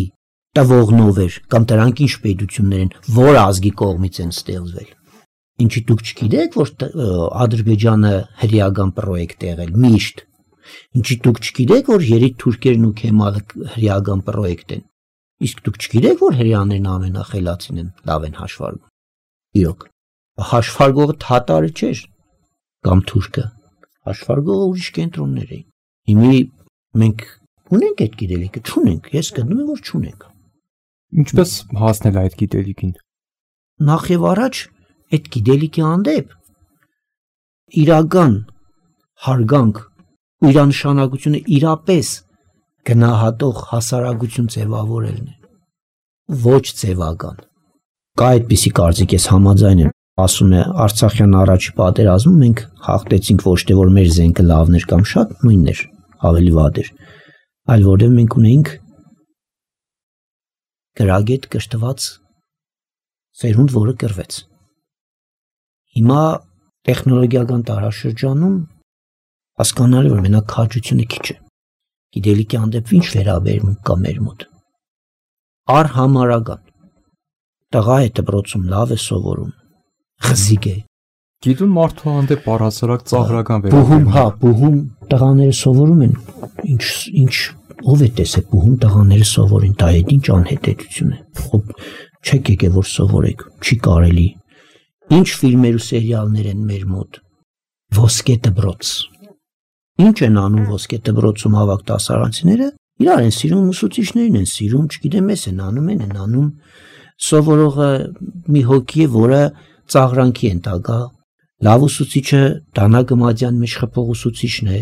տվողնով էր, կամ դրանք ինչ պետություններ են, որ ազգի կողմից են ստեղծվել։ Ինչի դուք չգիտեք, որ Ադրբեջանը հրեական պրոյեկտ է եղել, միշտ։ Ինչի դուք չգիտեք, որ երեք թուրքերն ու Քեմալը հրեական պրոյեկտ են։ Իսկ դուք չգիտեք, որ հրեաներն ամենախելացին են, լավ են հաշվարկում։ Իրոք, հաշվարկողը թատարը չէր, կամ թուրքը, հաշվարկողը ուրիշ կենտրոններ էին։ Հիմի մենք ունենք այդ գիտելիքը, չունենք, ես գտնում եմ, որ չունենք։ Ինչպես հասնել այդ գիտելիքին։ Նախ եւ առաջ այդ գիտելիքի հանդեպ իրական հարգանք ու իր նշանակությունը իրապես գնահատող հասարակություն ձևավորելն է, ոչ ձևական։ Կա այդպիսի կարծիք, ես համաձայն եմ, ասում է Արցախյան առաջի պատերազմում մենք հաղթեցինք ոչ թե որ մեր զենքը լավն էր կամ շատ նույնն էր, ավելի վատ էր, այլ որտեղ մենք ունեինք գրագետ կրթված սերունդ, որը կռվեց։ Հիմա տեխնոլոգիական տարաշրջանում հասկանալի որ մենակ քաջությունը քիչ է։ Գիտելիքի հանդեպ ինչ վերաբերմունք կա մեր մոտ։ Արհամարական։ Տղա է դպրոցում լավ է սովորում, խզիկ է։ Գիտուն մարդու հանդեպ առհասարակ ծաղրական վերաբերմունք։ Բուհում տղաները սովորում են, ինչ ով է տեսել բուհում տղաները սովորին, դա ինչ անհետեցություն է։ Չեք եկել որ սովորեք, չի կարելի։ Ինչ ֆիլմեր ու սերիալներ են մեր մոտ։ Ոսկե դպրոց։ Ինչ են անում ոսկե դպրոցում հավաք դասարանցիները։ Իրար են սիրում, ուսուցիչներին են սիրում, չգիտեմ, ես են անում։ Սովորողը մի հոգի է, որը ծաղրանքի են տակա։ Լավ ուսուցիչը Դանա Գմադյան մեջ խփող ուսուցիչն է։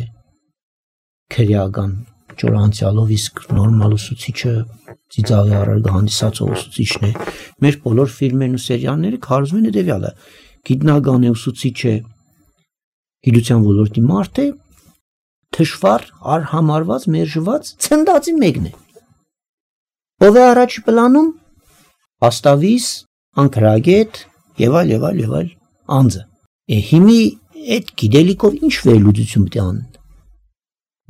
Քրեական ճորանցիալով, իսկ նորմալ ուսուցիչը ծիծաղի առարգ հանդիսացող ուսուցիչն է։ Մեր բոլոր ֆիլմերն ու սերիալները քարոզում են հետևյալը. գիտնական է, ուսուցիչ է, գիտության ոլորտի մարդ է, թշվառ, արհամարված, մերժված, ցնդածի մեկն է։ Ով է առաջի պլանում, հաստավիս, անկրագետ եւ այլ անձը։ Հիմի այդ գիտելիքով ինչ վերլուծություն պետք է անեն։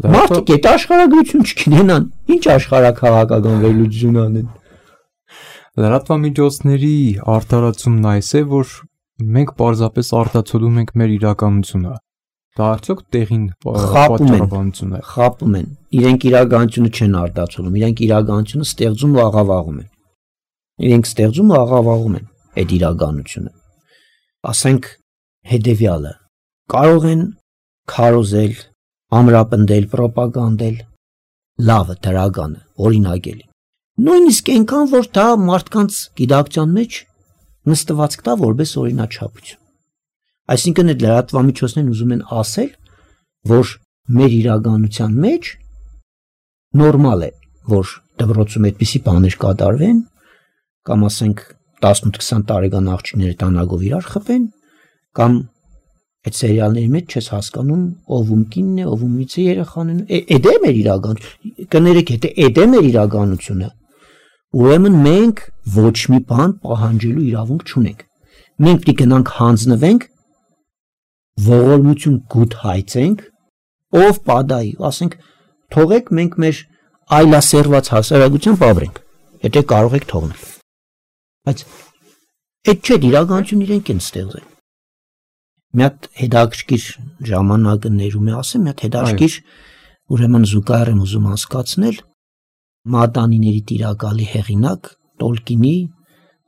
Մարդիկ այդ աշխարհագրություն չգիտենան, ինչ աշխարհաքաղաքական վերլուծություն անեն։ Լրատվամիջոցների արտարացումն այս է, որ մենք պարզապես արտացոլում ենք մեր իրականությունը։ Դա արդյոք տեղին պատճառաբանություն է։ Խապում են։ Իրենք իրականությունը չեն արտացոլում, իրենք իրականությունը ստեղծում ու աղավաղում են։ Իրենք ստեղծում ու աղավաղում են այդ իրականությունը։ Ասենք հետևյալը. կարող են քարոզել, ամրապնդել, պրոպագանդել լավը, դրականը, օրինակելի։ Նույնիսկ այնքան, որ դա մարդկանց գիտակցության մեջ նստվածք տա որպես օրինաչափություն։ Այսինքն այդ լրատվամիջոցներն ուզում են ասել, որ մեր իրականության մեջ նորմալ է, որ դպրոցում այդպիսի բաներ կատարվեն, կամ ասենք 18-20 տարեկան աղջիկները տանագով իրար խփեն, կամ այդ սերիալների մեջ չես հասկանում ով ում կինն է, ով ումից է երեխան է, այդ է մեր իրականությունը, կներեք, այդ է մեր իրականությունը։ Ուրեմն մենք ոչ մի բան պահանջելու իրավունք չունենք։ Մենք պետք է գնանք հանձնվենք, ողորմություն գութհայցենք, ով պատահի, ասենք, թողեք մենք մեր այլասերված հասարակությամբ ապրենք, եթե կարող եք թողնել։ Բայց այդ չէ, իրականություն իրենք են ստեղծել։ Մի հատ հետաքրքիր ժամանակը ներում է ասեմ, մի հատ հետաքրքիր ուրեմն զուգահեռ եմ ուզում հասկացնել մատանիների տիրակալի հեղինակ Տոլկինի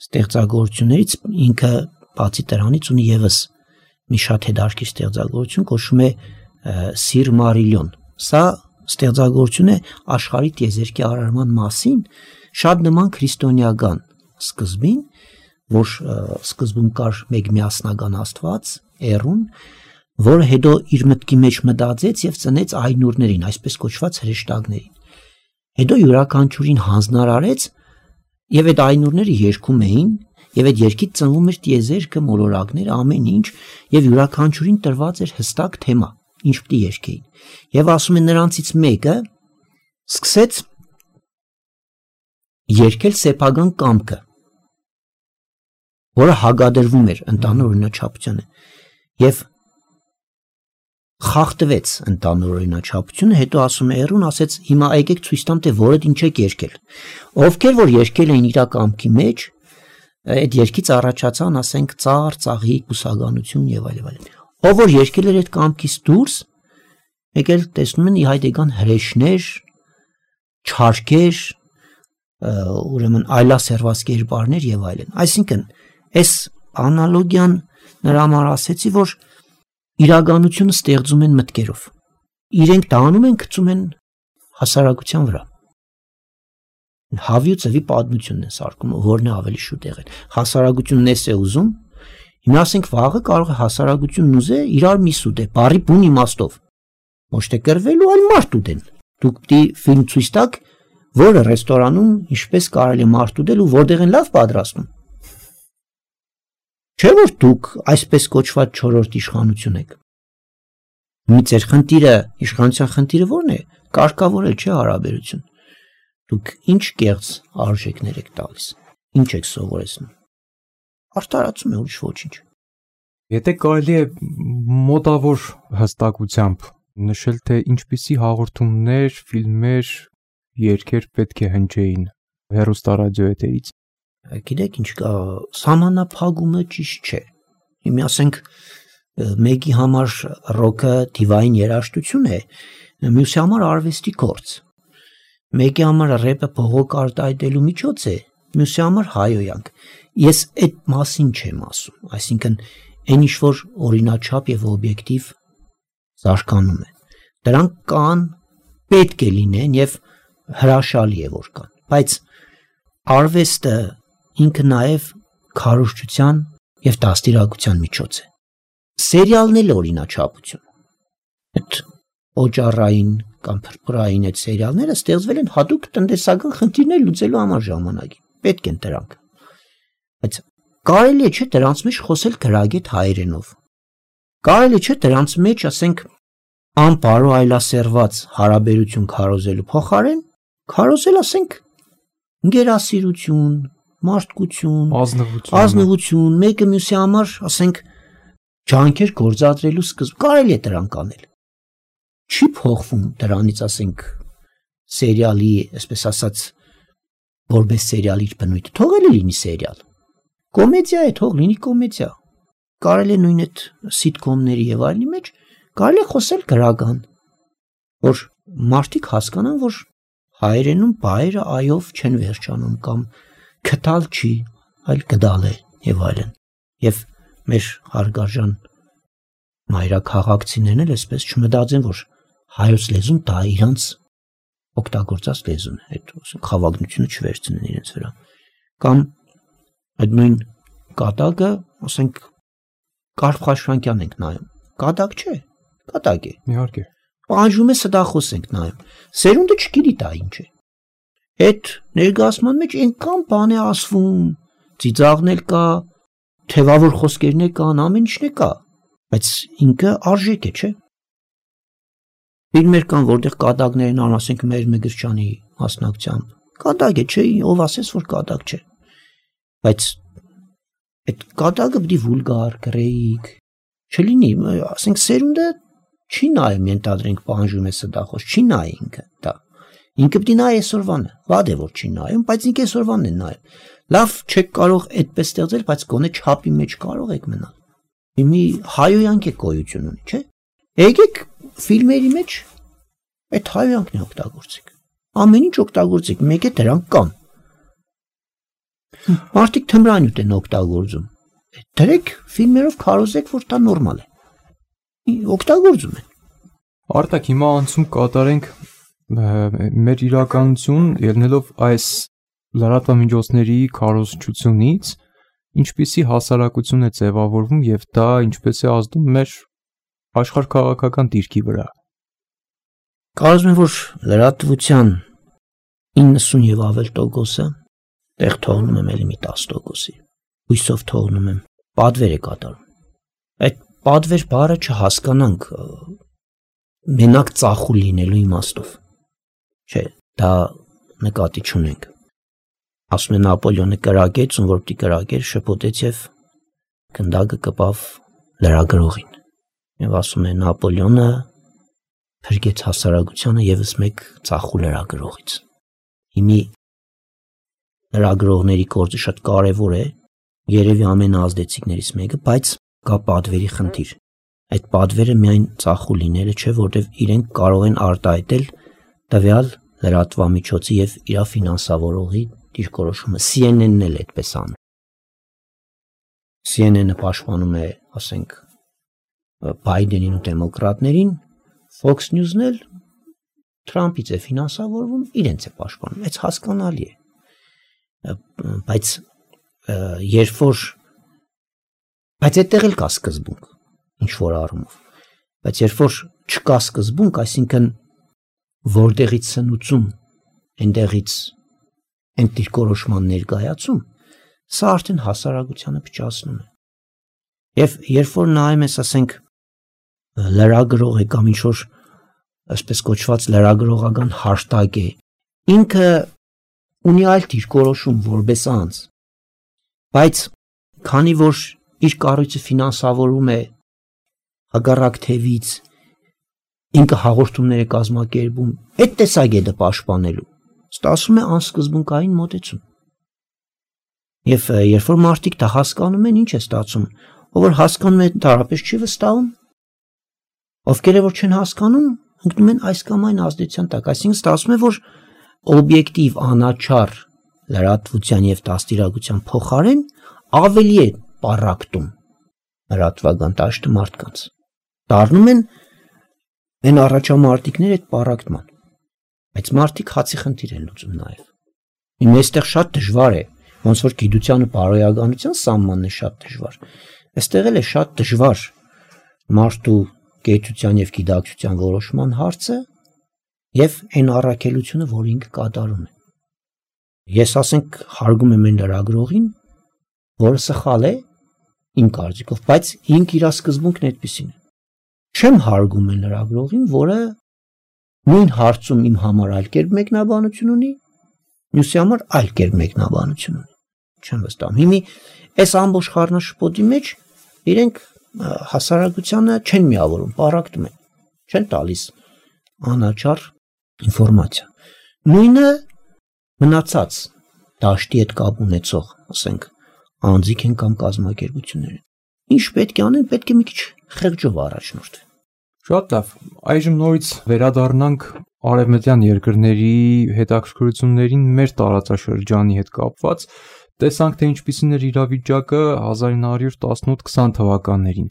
ստեղծագործություններից ինքը բացի դրանից ունի եւս մի շատ հետաքրքիր ստեղծագործություն, կոչվում է Սիրմարիլիոն։ Սա ստեղծագործություն է աշխարհի տիեզերքի արարման մասին, շատ նման քրիստոնեական սկզբին, որ սկզբում կար մեկ միասնական Աստված, Էրուն, որը հետո իր մտքի մեջ մտածեց եւ ծնեց այնուրներին, այսպես կոչված հրեշտակներին։ Հետո յուրաքանչյուրին հանձնարարեց եւ այդ այնուրները երգում էին եւ այդ երգից ծնվում էր տիեզերքը, մոլորակները, ամեն ինչ եւ յուրաքանչյուրին տրված էր հստակ թեմա, ինչ պիտի երգեին։ Եվ ասում են նրանցից մեկը սկսեց երգել սեփական կամքը, որը հագադրվում էր ընդհանուր օրինաչափությանը։ Եվ խախտվեց ընդհանուր օրինաչափությունը, հետո ասում է Էռուն, ասեց հիմա եկեք ցույց տամ, թե որդ ինչ եք երգել։ Ովքեր որ երգել էին իր կամքի մեջ, այդ երգից առաջացան, ասենք, ծառ, ծաղիկ, բուսականություն եւ այլն։ Ով որ երգել էր այդ կամքից դուրս, եկել տեսնում են իհայդեգան հրեշներ, չարքեր, ուրեմն այլասերված կերպարներ եւ այլն։ Այսինքն, այս անալոգիան նրա համար ասեցի, որ իրականությունը ստեղծում են մտքերով։ Իրենք դա անում են, գցում են հասարակության վրա։ Հավի ու ծվի պատմությունն է սարքում, որն է ավելի շուտ եղել։ Հասարակությունն էս է ուզում, հիմա ասենք վաղը կարող է հասարակությունն ուզե իրար մի սուտ է, բարի բուն իմաստով։ Ոչ թե կռվելու, այլ մարդ ուտեն։ Դուք պիտի ֆիլմ ցույց տաք, որը ռեստորանում ինչպես կարելի է մարդ ուտել ու որտեղ են լավ պատրաստում։ Չէ՞ որ դուք այսպես կոչված չորրորդ իշխանություն եք։ Մի ձեր խնդիրը, իշխանության խնդիրը ո՞րն է։ Կարգավորել չէ հարաբերություն։ Դուք ինչ կեղծ արժեքներ եք տալիս։ Ինչ եք սովորեցնում։ Արտարացում է ուրիշ ոչինչ։ Եթե կարելի է մոտավոր հստակությամբ նշել, թե ինչպիսի հաղորդումներ, ֆիլմեր, երգեր պետք է հնչեին հեռուստարադիոյետերից։ Գիտեք ինչ կա, սահմանափակումը ճիշտ չէ։ Հիմա ասենք մեկի համար ռոքը դիվային երաժշտություն է, մյուսի համար արվեստի գործ։ Մեկի համար ռեպը փողոք արտահայտելու միջոց է, մյուսի համար հայոյանք։ Ես այդ մասին չեմ ասում, այսինքն այն ինչ որ օրինաչափ եւ օբյեկտիվ զարգանում է։ Դրանք կան, պետք է լինեն եւ հրաշալի է որ կան, բայց արվեստը ինքը նաեւ քարոզչության եւ դաստիարակության միջոց է։ Սերիալն էլ օրինաչափություն։ Այդ օջառային կամ փրփրային այդ սերիալները ստեղծվել են հատուկ տնտեսական խնդիրներ լուծելու համար ժամանակին։ Պետք են դրանք։ Բայց կարելի է չէ դրանց մեջ խոսել գրագետ հայերենով։ Կարելի չէ դրանց մեջ, ասենք, անպարո այլասերված հարաբերություն քարոզելու փոխարեն քարոզել, ասենք, գերասիրություն, մարդկություն, ազնվություն, մեկը մյուսի համար, ասենք, ջանքեր գործադրելու սկզբ կարելի է դրանք անել։ Չի փոխվում դրանից, ասենք, սերիալի, այսպես ասած, որպես սերիալի բնույթը, թողել է լինի սերիալ։ Կոմեդիա է, թող լինի կոմեդիա։ Կարելի է նույն այդ սիտկոմների եւ այլնի մեջ կարելի է խոսել գրական, որ մարդիկ հասկանան, որ հայերենում բայերը այով չեն վերջանում կամ քթալ չի, այլ գդալ է եւ այլն։ Եվ մեր հարգարժան մայրաքաղաքցիներն էլ այսպես չմտածեն, որ հայոց լեզուն դա իրանց օգտագործած լեզուն է, այդ խավագնությունը չվերցնեն իրենց վրա։ Կամ այդ նույն կատակը, ասենք, Կարփ Խաչատրյանն ենք նայում։ Կատակ չէ, կատակ է։ Իհարկե։ Պահանջում է ստախոս ենք նայում։ Սերունդը չգիտի դա ինչ է։ Այդ ներկայացման մեջ այնքան բան է ասվում, ծիծաղնել կա, թևավոր խոսքերներ կան, ամեն ինչն է կա, բայց ինքը արժեք է, չէ՞։ Ֆիլմեր կան, որտեղ կատակներն ան, ասենք, մեր Մեգրչյանի մասնակցությամբ։ Կատակ է, չէ՞, ով ասես, որ կատակ չէ։ Բայց այդ կատակը պիտի վուլգար, գրեիկ չլինի, ասենք, սերունդը չի նայում, ենթադրենք, պահանջում է ստախոս, չի նայ ինքը դա։ Ինքը պիտի նայ այսօրվանը, վատ է որ չի նայում, բայց ինքը այսօրվանն է նայում։ Լավ չեք կարող այդպես ստեղծել, բայց գոնե չափի մեջ կարող եք մնալ։ Մի հայոյանք է գոյություն ունի, չէ՞։ Եկեք ֆիլմերի մեջ այդ հայոյանքն է օգտագործեք։ Ամեն ինչ օգտագործեք, մեկ է դրանք կան։ Մարդիկ թմրանյութ են օգտագործում։ Դրեք ֆիլմերով քարոզեք, որ դա նորմալ է։ Օգտագործում են։ Արտակ, հիմա անցում կատարենք մեր իրականություն, ելնելով այս լրատվամիջոցների քարոզչությունից, ինչպիսի հասարակություն է ձևավորվում եւ դա ինչպես է ազդում մեր աշխարհքաղաքական դիրքի վրա։ Կարծում եմ, որ լրատվության 90 եւ ավել տոկոսը տեղ թողնում եմ էլի մի 10%-ի։ Հույսով թողնում եմ, պատվեր է կատարում։ Այդ պատվեր բառը չհասկանանք մենակ ծախու լինելու իմաստով։ Չէ, դա նկատի չունենք։ Ասում են Նապոլեոնը կրակեց, ում որ պիտի կրակեր, շփոթեց եւ գնդակը կպավ լրագրողին։ Եվ ասում է Նապոլեոնը փրկեց հասարակությանը եւս մեկ ծախու լրագրողից։ Հիմի լրագրողների գործը շատ կարևոր է, երևի ամենաազդեցիկներից մեկը, բայց կա պատվերի խնդիր։ Այդ պատվերը միայն ծախու լինելը չէ, որտեղ իրենք կարող են արտահայտել տվյալ լրատվամիջոցի եւ իր ֆինանսավորողի դիրքորոշումը։ CNN-ն էլ այդպես անում։ CNN-ը պաշտպանում է, ասենք, Բայդենին ու դեմոկրատներին, Fox News-ն էլ Թրամփից է ֆինանսավորվում, իրենց է պաշտպանում։ Այս հասկանալի է։ Բայց այդտեղ էլ կա սկզբունք, ինչ որ առումով։ Բայց երբ որ չկա սկզբունք, այսինքն որտեղից սնուցում, այնտեղից այն դիրքորոշման ներկայացում, սա արդեն հասարակությանը փչացնում է։ Եվ երբ որ նայում ես, ասենք, լրագրող է կամ ինչ որ այսպես կոչված լրագրողական հաշտագ է, ինքը ունի այլ դիրքորոշում որպես անձ, բայց քանի որ իր կառույցը ֆինանսավորում է հակառակ թևից, ինքը հաղորդումներ է կազմակերպում, այդ տեսակետը պաշտպանելու, ստացվում է անսկզբունքային մոտեցում։ Եվ երբ որ մարդիկ դա հասկանում են, ինչ է ստացվում, ով որ հասկանում է, դարապես չի վստահում, ովքեր որ չեն հասկանում, ընկնում են այս կամ այն ազդեցության տակ, այսինքն ստացվում է, որ օբյեկտիվ անաչառ լրատվության եւ դաստիարակության փոխարեն ավելի է պարակտում լրատվական դաշտը մարդկանց։ Դառնում են այն առաջամարտիկները այդ պարակտման։ Բայց մարդիկ հացի խնդիր են լուծում նաեւ։ Իմ այստեղ շատ դժվար է, ոնց որ գիտության ու բարոյականության սահմանն է շատ դժվար։ Այստեղ էլ է շատ դժվար մարդու գիտության եւ գիտակցության որոշման հարցը եւ այն առաքելությունը, որ ինքը կատարում է։ Ես ասենք հարգում եմ այն լրագրողին, որը սխալ է իմ կարծիքով, բայց ինքը իր սկզբունքն այդպեսին է։ Չեմ հարգում այն լրագրողին, որը նույն հարցում իմ համար այլ կերպ մեկնաբանություն ունի, մյուսի համար այլ կերպ մեկնաբանություն ունի։ Չեմ վստահում։ Հիմի այս ամբողջ խառնաշփոթի մեջ իրենք հասարակությանը չեն միավորում, պարակտում են, չեն տալիս անաչառ ինֆորմացիա։ Նույնը մնացած դաշտի հետ կապ ունեցող, ասենք, անձիկ են կամ կազմակերպություններ են։ Ինչ պետք է անեն, պետք է մի քիչ խեղճով առաջնորդվեն։ Շատ լավ։ Այժմ նորից վերադառնանք արևմտյան երկրների հետաքրքրություններին մեր տարածաշրջանի հետ կապված։ Տեսանք, թե ինչպիսին էր իրավիճակը 1918-20 թվականներին։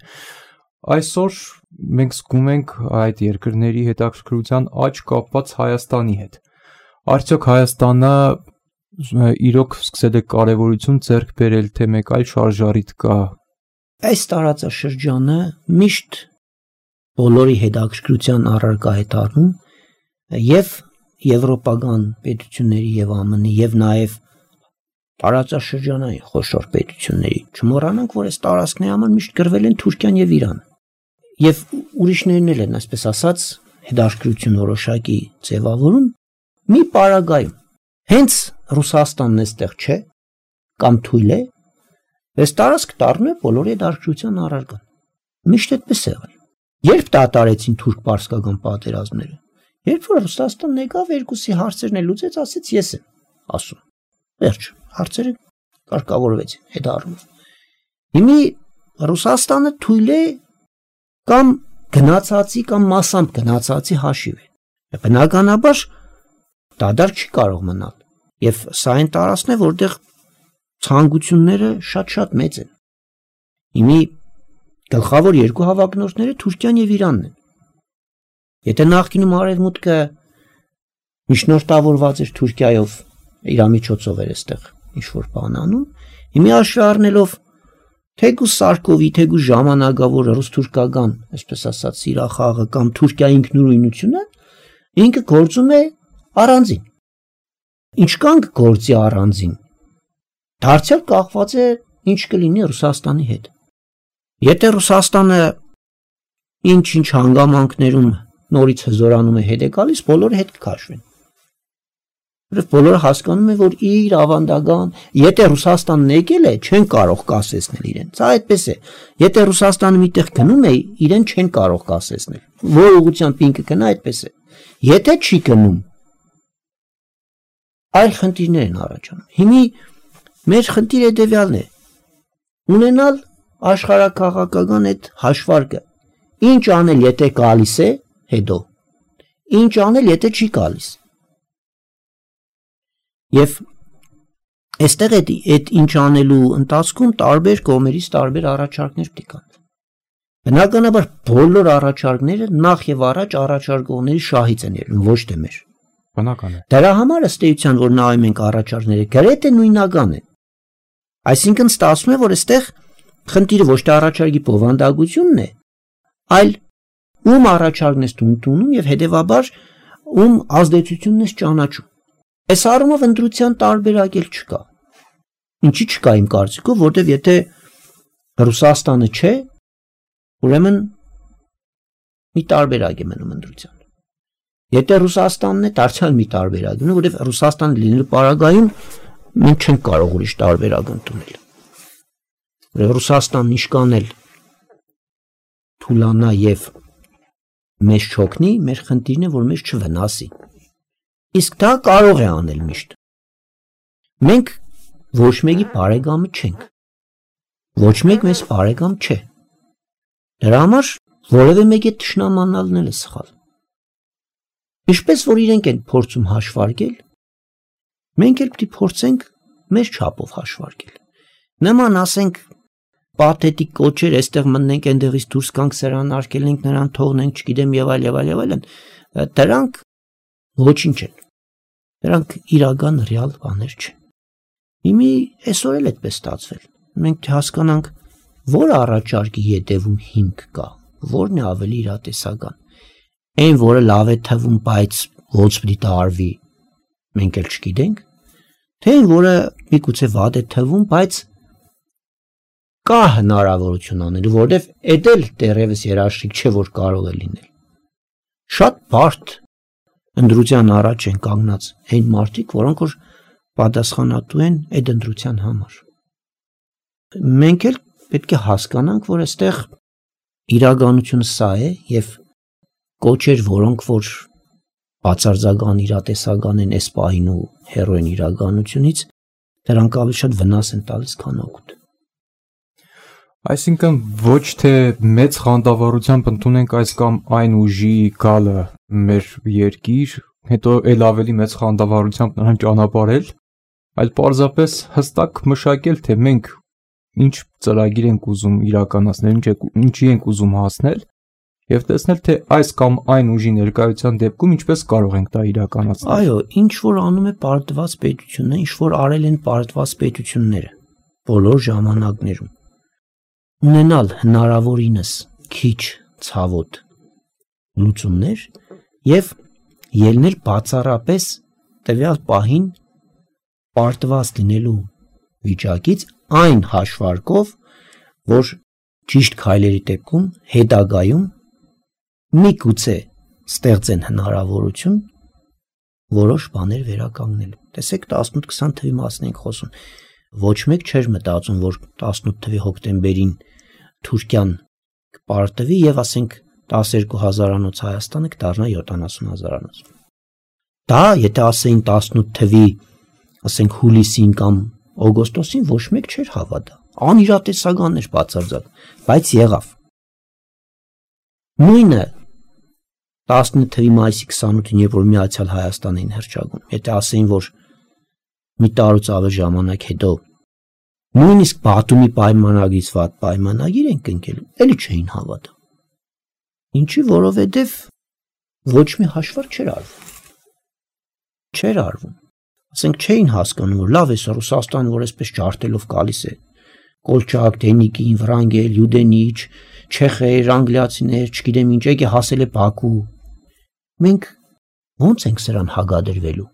Այսօր մենք զգում ենք այդ երկրների հետաքրքրության աճ կապված Հայաստանի հետ։ Արդյոք Հայաստանը իրոք սկսել է կարևորություն ձեռք բերել, թե մեկ այլ շարժառիթ կա։ Այս տարածաշրջանը միշտ բոլորի հետաքրքրության առարկա է դառնում եւ եվրոպական պետությունների եւ ԱՄՆ-ի եւ նաեւ տարածաշրջանային խոշոր պետությունների։ Չմոռանանք, որ այս տարածքների համար միշտ գրվել են Թուրքիան եւ Իրանը։ Եվ ուրիշներն էլ են, այսպես ասած, հետաքրքրություն որոշակի ձևավորում մի պարագայում։ Հենց Ռուսաստանն էստեղ չէ, կամ թույլ է, այս տարածք դառնում է բոլորի հետաքրքրության առարկան։ Միշտ այդպես է եղել։ Երբ դատարեցին թուրք-պարսկական պատերազմները, երբ որ Ռուսաստանն եկավ, երկուսի հարցերն է լուծեց, ասեց ես եմ ասում։ Վերջ, հարցերը կարգավորվեցին այդ առումով։ Հիմի Ռուսաստանը թույլ է կամ գնացածի կամ մասամբ գնացածի հաշիվ է։ Բնականաբար դադար չի կարող մնալ։ Եվ սա այն տարածքն է, որտեղ ցանկությունները շատ մեծ են։ Հիմի գլխավոր երկու հավակնորդները Թուրքիան եւ Իրանն են։ Եթե նախկինում Արևմուտքը միջնորդավորված էր Թուրքիայով, իր միջոցով էր այստեղ ինչ-որ բան անում, հիմա հաշվի առնելով թեկուզ Սարկովի, թեկուզ ժամանակավոր ռուս-թուրքական, այսպես ասած, սիրախաղը կամ Թուրքիայի ինքնուրույնությունը, ինքը գործում է առանձին։ Ինչքան գործի առանձին, դարձյալ կախված է ինչ կլինի Ռուսաստանի հետ։ Եթե Ռուսաստանը ինչ հանգամանքներում նորից հզորանում է հետ է գալիս, բոլորը հետ կքաշվեն։ Բոլորը հասկանում են, որ իր ավանդական, եթե Ռուսաստանն եկել է, չեն կարող կասեցնել իրեն։ Սա այդպես է։ Եթե Ռուսաստանը միտեղ գնում է, իրեն չեն կարող կասեցնել։ Որ ուղղությամբ ինքը գնա, այդպես է։ Եթե չի գնում, այլ խնդիրներ են առաջանում։ Հիմի մեր խնդիրը հետևյալն է. ունենալ աշխարհակաղակական այդ հաշվարկը։ Ինչ անել, եթե գալիս է, հետո։ Ինչ անել, եթե չի գալիս։ Եվ այստեղ այդ ինչ անելու ընթացքում տարբեր կողմերից տարբեր առաջարկներ պետք կան։ Բնականաբար բոլոր առաջարկները նախ եւ առաջ առաջարկողների շահից են ելնում, ոչ թե մեր։ Բնական է։ Դրա համար ըստ էության, որ նայում ենք առաջարկները, գրեթե նույնական են։ Այսինքն ստացվում է, որ այստեղ խնդիրը ոչ թե առաջարկի բովանդակությունն է, այլ ում առաջարկն ես ընդունում եւ հետեւաբար ում ազդեցությունն ես ճանաչում։ Այս առումով ընտրության տարբերակ էլ չկա։ Ինչի՞ չկա իմ կարծիքով, որտեվ եթե Ռուսաստանը չէ, ուրեմն մի տարբերակ է մնում ընտրության։ Եթե Ռուսաստանն է, դարձյալ մի տարբերակ է, որտեվ Ռուսաստանը լինելու պարագայում մենք չենք կարող ուրիշ տարբերակ ընդունել։ Որտեվ Ռուսաստանն իշկանել թուլանա եւ մեզ չօգնի, մեր խնդիրն է, որ մեզ չվնասի։ Իսկ դա կարող է անել միշտ։ Մենք ոչ մեկի բարեկամը չենք։ Ոչ մեկ մեզ բարեկամ չէ։ Դրա համար որևէ մեկի թշնամանալն է սխալ։ Ինչպես որ իրենք են փորձում հաշվարկել, մենք էլ պետք է փորձենք մեր չափով հաշվարկել։ Նման ասենք պաթետիկ կոչեր, այստեղ մտնենք, այնտեղից դուրս գանք, սրան արկելենք, նրան թողնենք, չգիտեմ եւ այլն, դրանք ոչինչ են։ Դրանք իրական ռեալ բաներ չեն։ Հիմի այսօր էլ այդպես ստացվել։ Մենք հասկանանք, որ առաջարկի յետևում հիմք կա, որն է ավելի իրատեսական։ Այն, որը լավ է թվում, բայց ոնց պիտի տարվի, մենք էլ չգիտենք, թե այն, որը միգուցե վատ է թվում, բայց կա հնարավորություն անելու, որովհետև էդ էլ դեռևս երաշխիք չէ, որ կարող է լինել։ Շատ բարդ ընտրության առաջ են կանգնած այն մարդիկ, որոնք որ պատասխանատու են այդ ընտրության համար։ Մենք էլ պետք է հասկանանք, որ այստեղ իրականությունը սա է եւ կոչեր, որոնք որ բացարձական իրատեսական են այս պահին ու հերոին իրականությունից, դրանք ավելի շատ վնաս են տալիս, քան օգուտ։ Այսինքն ոչ թե մեծ խանդավառությամբ ընդունենք այս կամ այն ուժի գալը մեր երկիր, հետո էլ ավելի մեծ խանդավառությամբ նրան ճանապարհել, այլ պարզապես հստակ մշակել, թե մենք ինչ ծրագիր ենք ուզում իրականացնել, ինչի ենք ուզում հասնել, եւ տեսնել, թե այս կամ այն ուժի ներկայության դեպքում ինչպես կարող ենք դա իրականացնել։ Այո, ինչ որ անում է պարտված պետությունը, ինչ որ արել են պարտված պետությունները բոլոր ժամանակներում, ունենալ հնարավորինս քիչ ցավոտ լուծումներ եւ ելնել բացառապես տվյալ պահին պարտված լինելու վիճակից այն հաշվարկով, որ ճիշտ քայլերի դեպքում հետագայում միգուցե ստեղծեն հնարավորություն որոշ բաներ վերականգնելու։ Տեսեք 18-20 թվի մասն ենք խոսում։ Ոչ մեկ չէր մտածում, որ 18 թվի հոկտեմբերին Թուրքիան կպարտվի եւ ասենք 12,000-անոց Հայաստանը կդառնա 70,000-անոց։ Դա եթե ասեին 18 թվի, ասենք հուլիսին կամ օգոստոսին, ոչ մեկ չէր հավատա։ Անիրատեսական էր բացարձակ, բայց եղավ։ Նույնը 19 թվի մայիսի 28-ին, երբ որ Միացյալ Հայաստան էին հռչակում, եթե ասեին, որ մի տարուց ավելի ժամանակ հետո նույնիսկ Բաթումի պայմանագրից վատ պայմանագիր են կնքելու, էլի չէին հավատա։ Ինչի, որովհետև ոչ մի հաշվարկ չէր արվում։ Չէր արվում։ Ասենք չէին հասկանում, որ լավ է սա Ռուսաստանը, որ այսպես ջարդելով գալիս է։ Կոլչակ, Դենիկին, Վրանգել, Յուդենիչ, չեխեր, անգլիացիներ, չգիտեմ ինչ, եկե հասել է Բաքու։ Մենք ո՞նց ենք սրան հագադրվելու։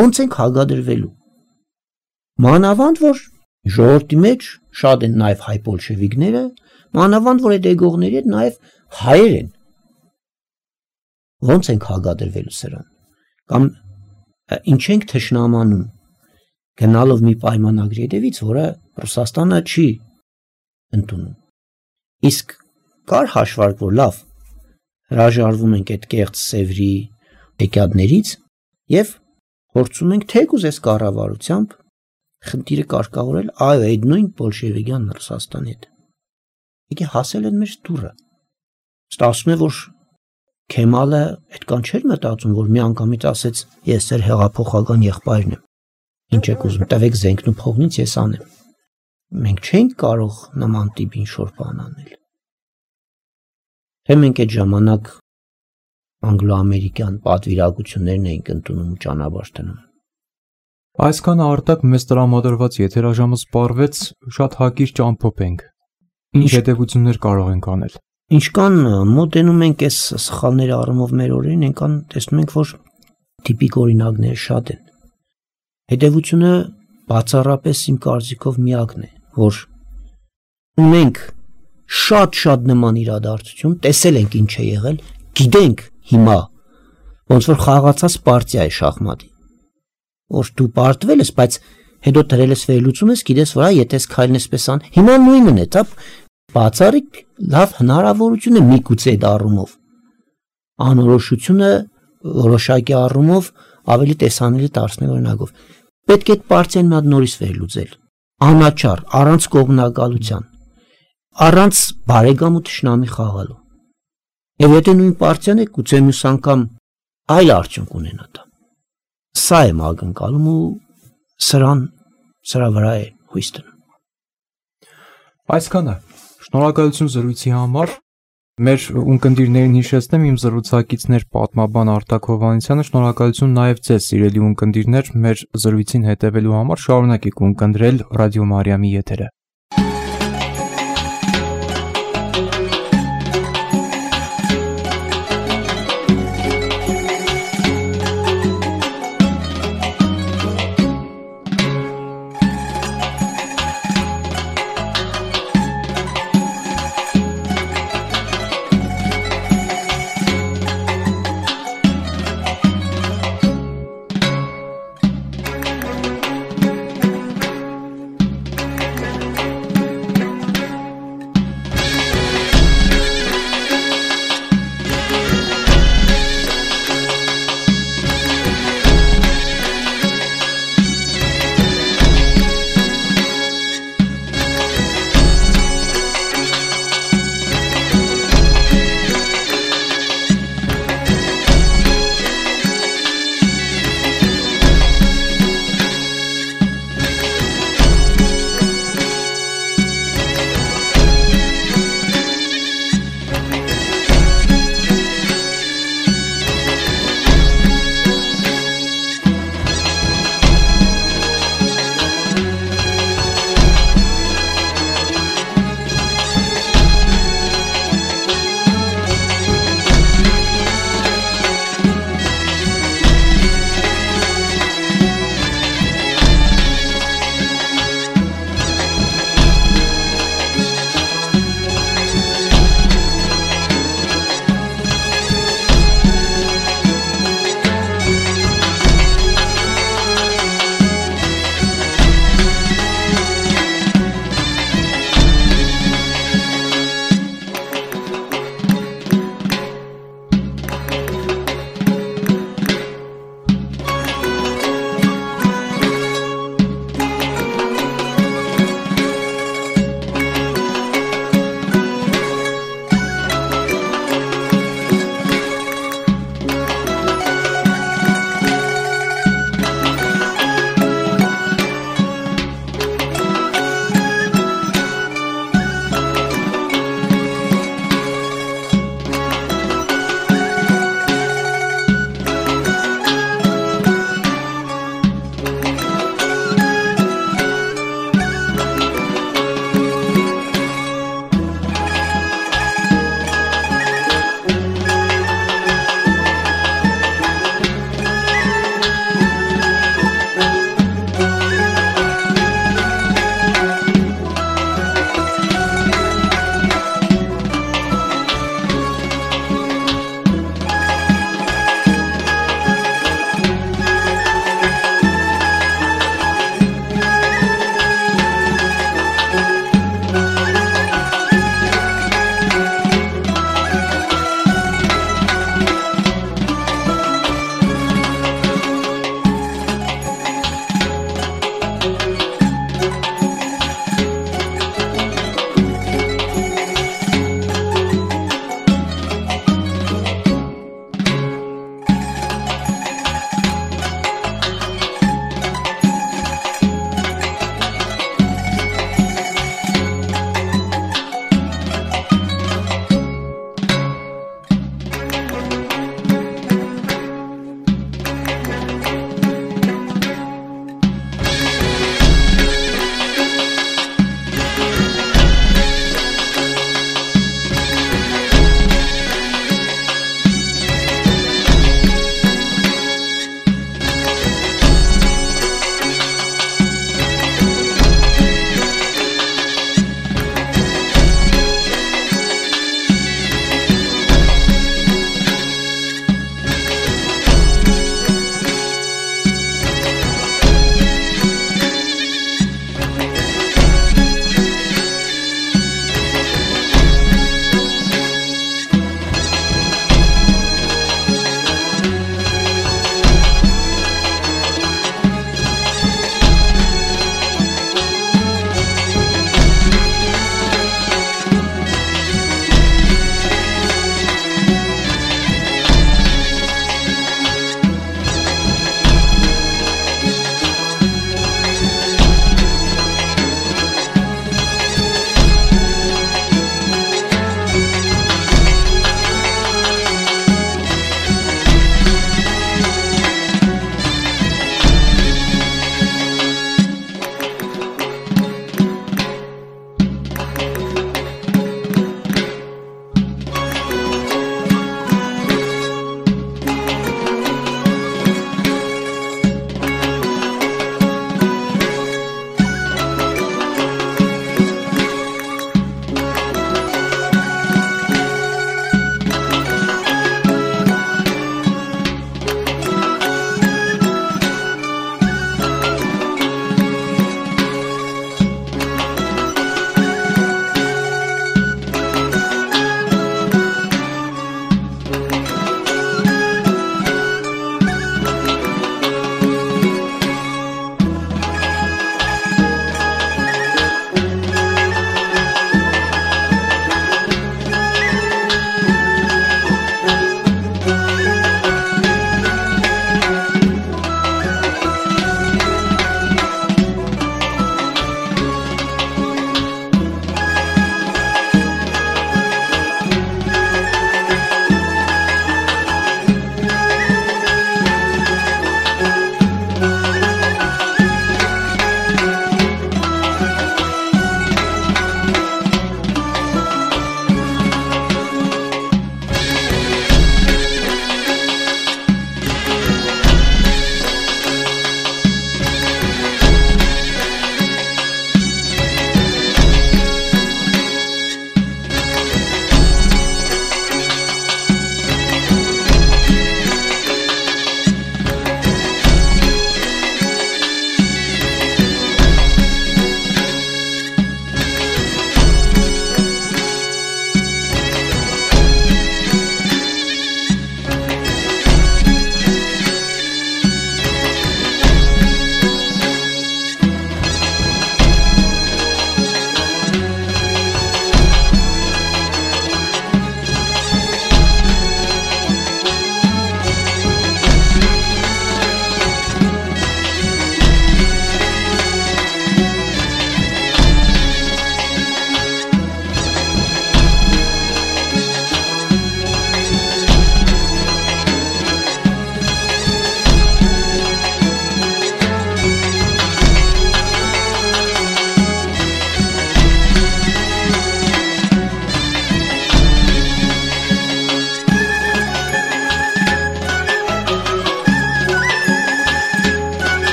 Ո՞նց ենք հագադրվելու։ Մանավանդ որ ժողովրդի մեջ շատ են նաև հայ բոլշևիկները, մանավանդ որ այդ եկողների հետ նաև հայեր են։ Ո՞նց ենք հագադրվելու սրան։ Կամ ինչ ենք թշնամանում գնալով մի պայմանագրի հետևից, որը Ռուսաստանը չի ընդունում։ Իսկ կար հաշվարկ, որ լավ հրաժարվում ենք այդ կեղծ Սևրի եկյադներից եւ փորձում ենք թեկուզ այս կառավարությամբ խնդիրը կարգավորել այո այդ նույն բոլշևիկյան Ռուսաստանի հետ։ Եկե հասել են մեր դուրը։ Ստացվում է, որ Քեմալը այդքան չէր մտածում, որ մի անգամից ասեց ես ձեր հեղափոխական եղբայրն եմ։ Ինչ եք ուզում, տվեք զենքն ու փողնից ես անեմ։ Մենք չենք կարող նման տիպ ինչ-որ բան անել։ Թե մենք այդ ժամանակ անգլո-ամերիկյան պատվիրակություններն էինք ընդունում ու ճանապարհ դնում։ Այսքան արտակ մեզ տրամադրված եթերաժամը սպառվեց, շատ հակիրճ ամփոփ ենք։ Ինչ հետևություններ կարող ենք անել։ Ինչքան մոտենում ենք այս սխալների առումով մեր օրերին, այնքան տեսնում ենք, որ տիպիկ օրինակները շատ են։ Հետևությունը բացառապես իմ կարծիքով միակն է, որ ունենք շատ նման իրադարձություն, տեսել ենք ինչ է եղել, գիտենք հիմա, ոնց որ խաղացած պարտիա է շախմատի, որ դու պարտվել ես, բայց հետո դրել ես վերլուծում ես, գիտես, որ եթե ես քայլն էսպես ան, հիմա նույնն է, դա բացառիկ լավ հնարավորություն է միգուցե այդ առումով։ Անորոշությունը որոշակի առումով ավելի տեսանելի դարձնել օրինակով։ Պետք է այդ պարտիան մի հատ նորից վերլուծել։ Անաչառ, առանց կողմնակալության, առանց բարեկամ ու թշնամի խաղալու։ Եվ եթե նույն պարտիան է, գուցե մյուս անգամ այլ արդյունք ունենա դա։ Սա եմ ակնկալում ու սրա վրա է հույս դնում։ Այսքանը շնորհակալություն զրույցի համար։ Մեր ունկնդիրներին հիշեցնեմ, իմ զրուցակիցներ պատմաբան Արտակ Հովհաննիսյանը, շնորհակալություն նաև ձեզ սիրելի ունկնդիրներ, մեր զրույցին հետևելու համար, շարունակեք ունկնդրել Ռադիո Մարիամի եթերը։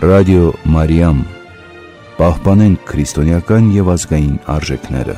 Ռադիո Մարիամ, պահպանենք քրիստոնեական եւ ազգային արժեքները։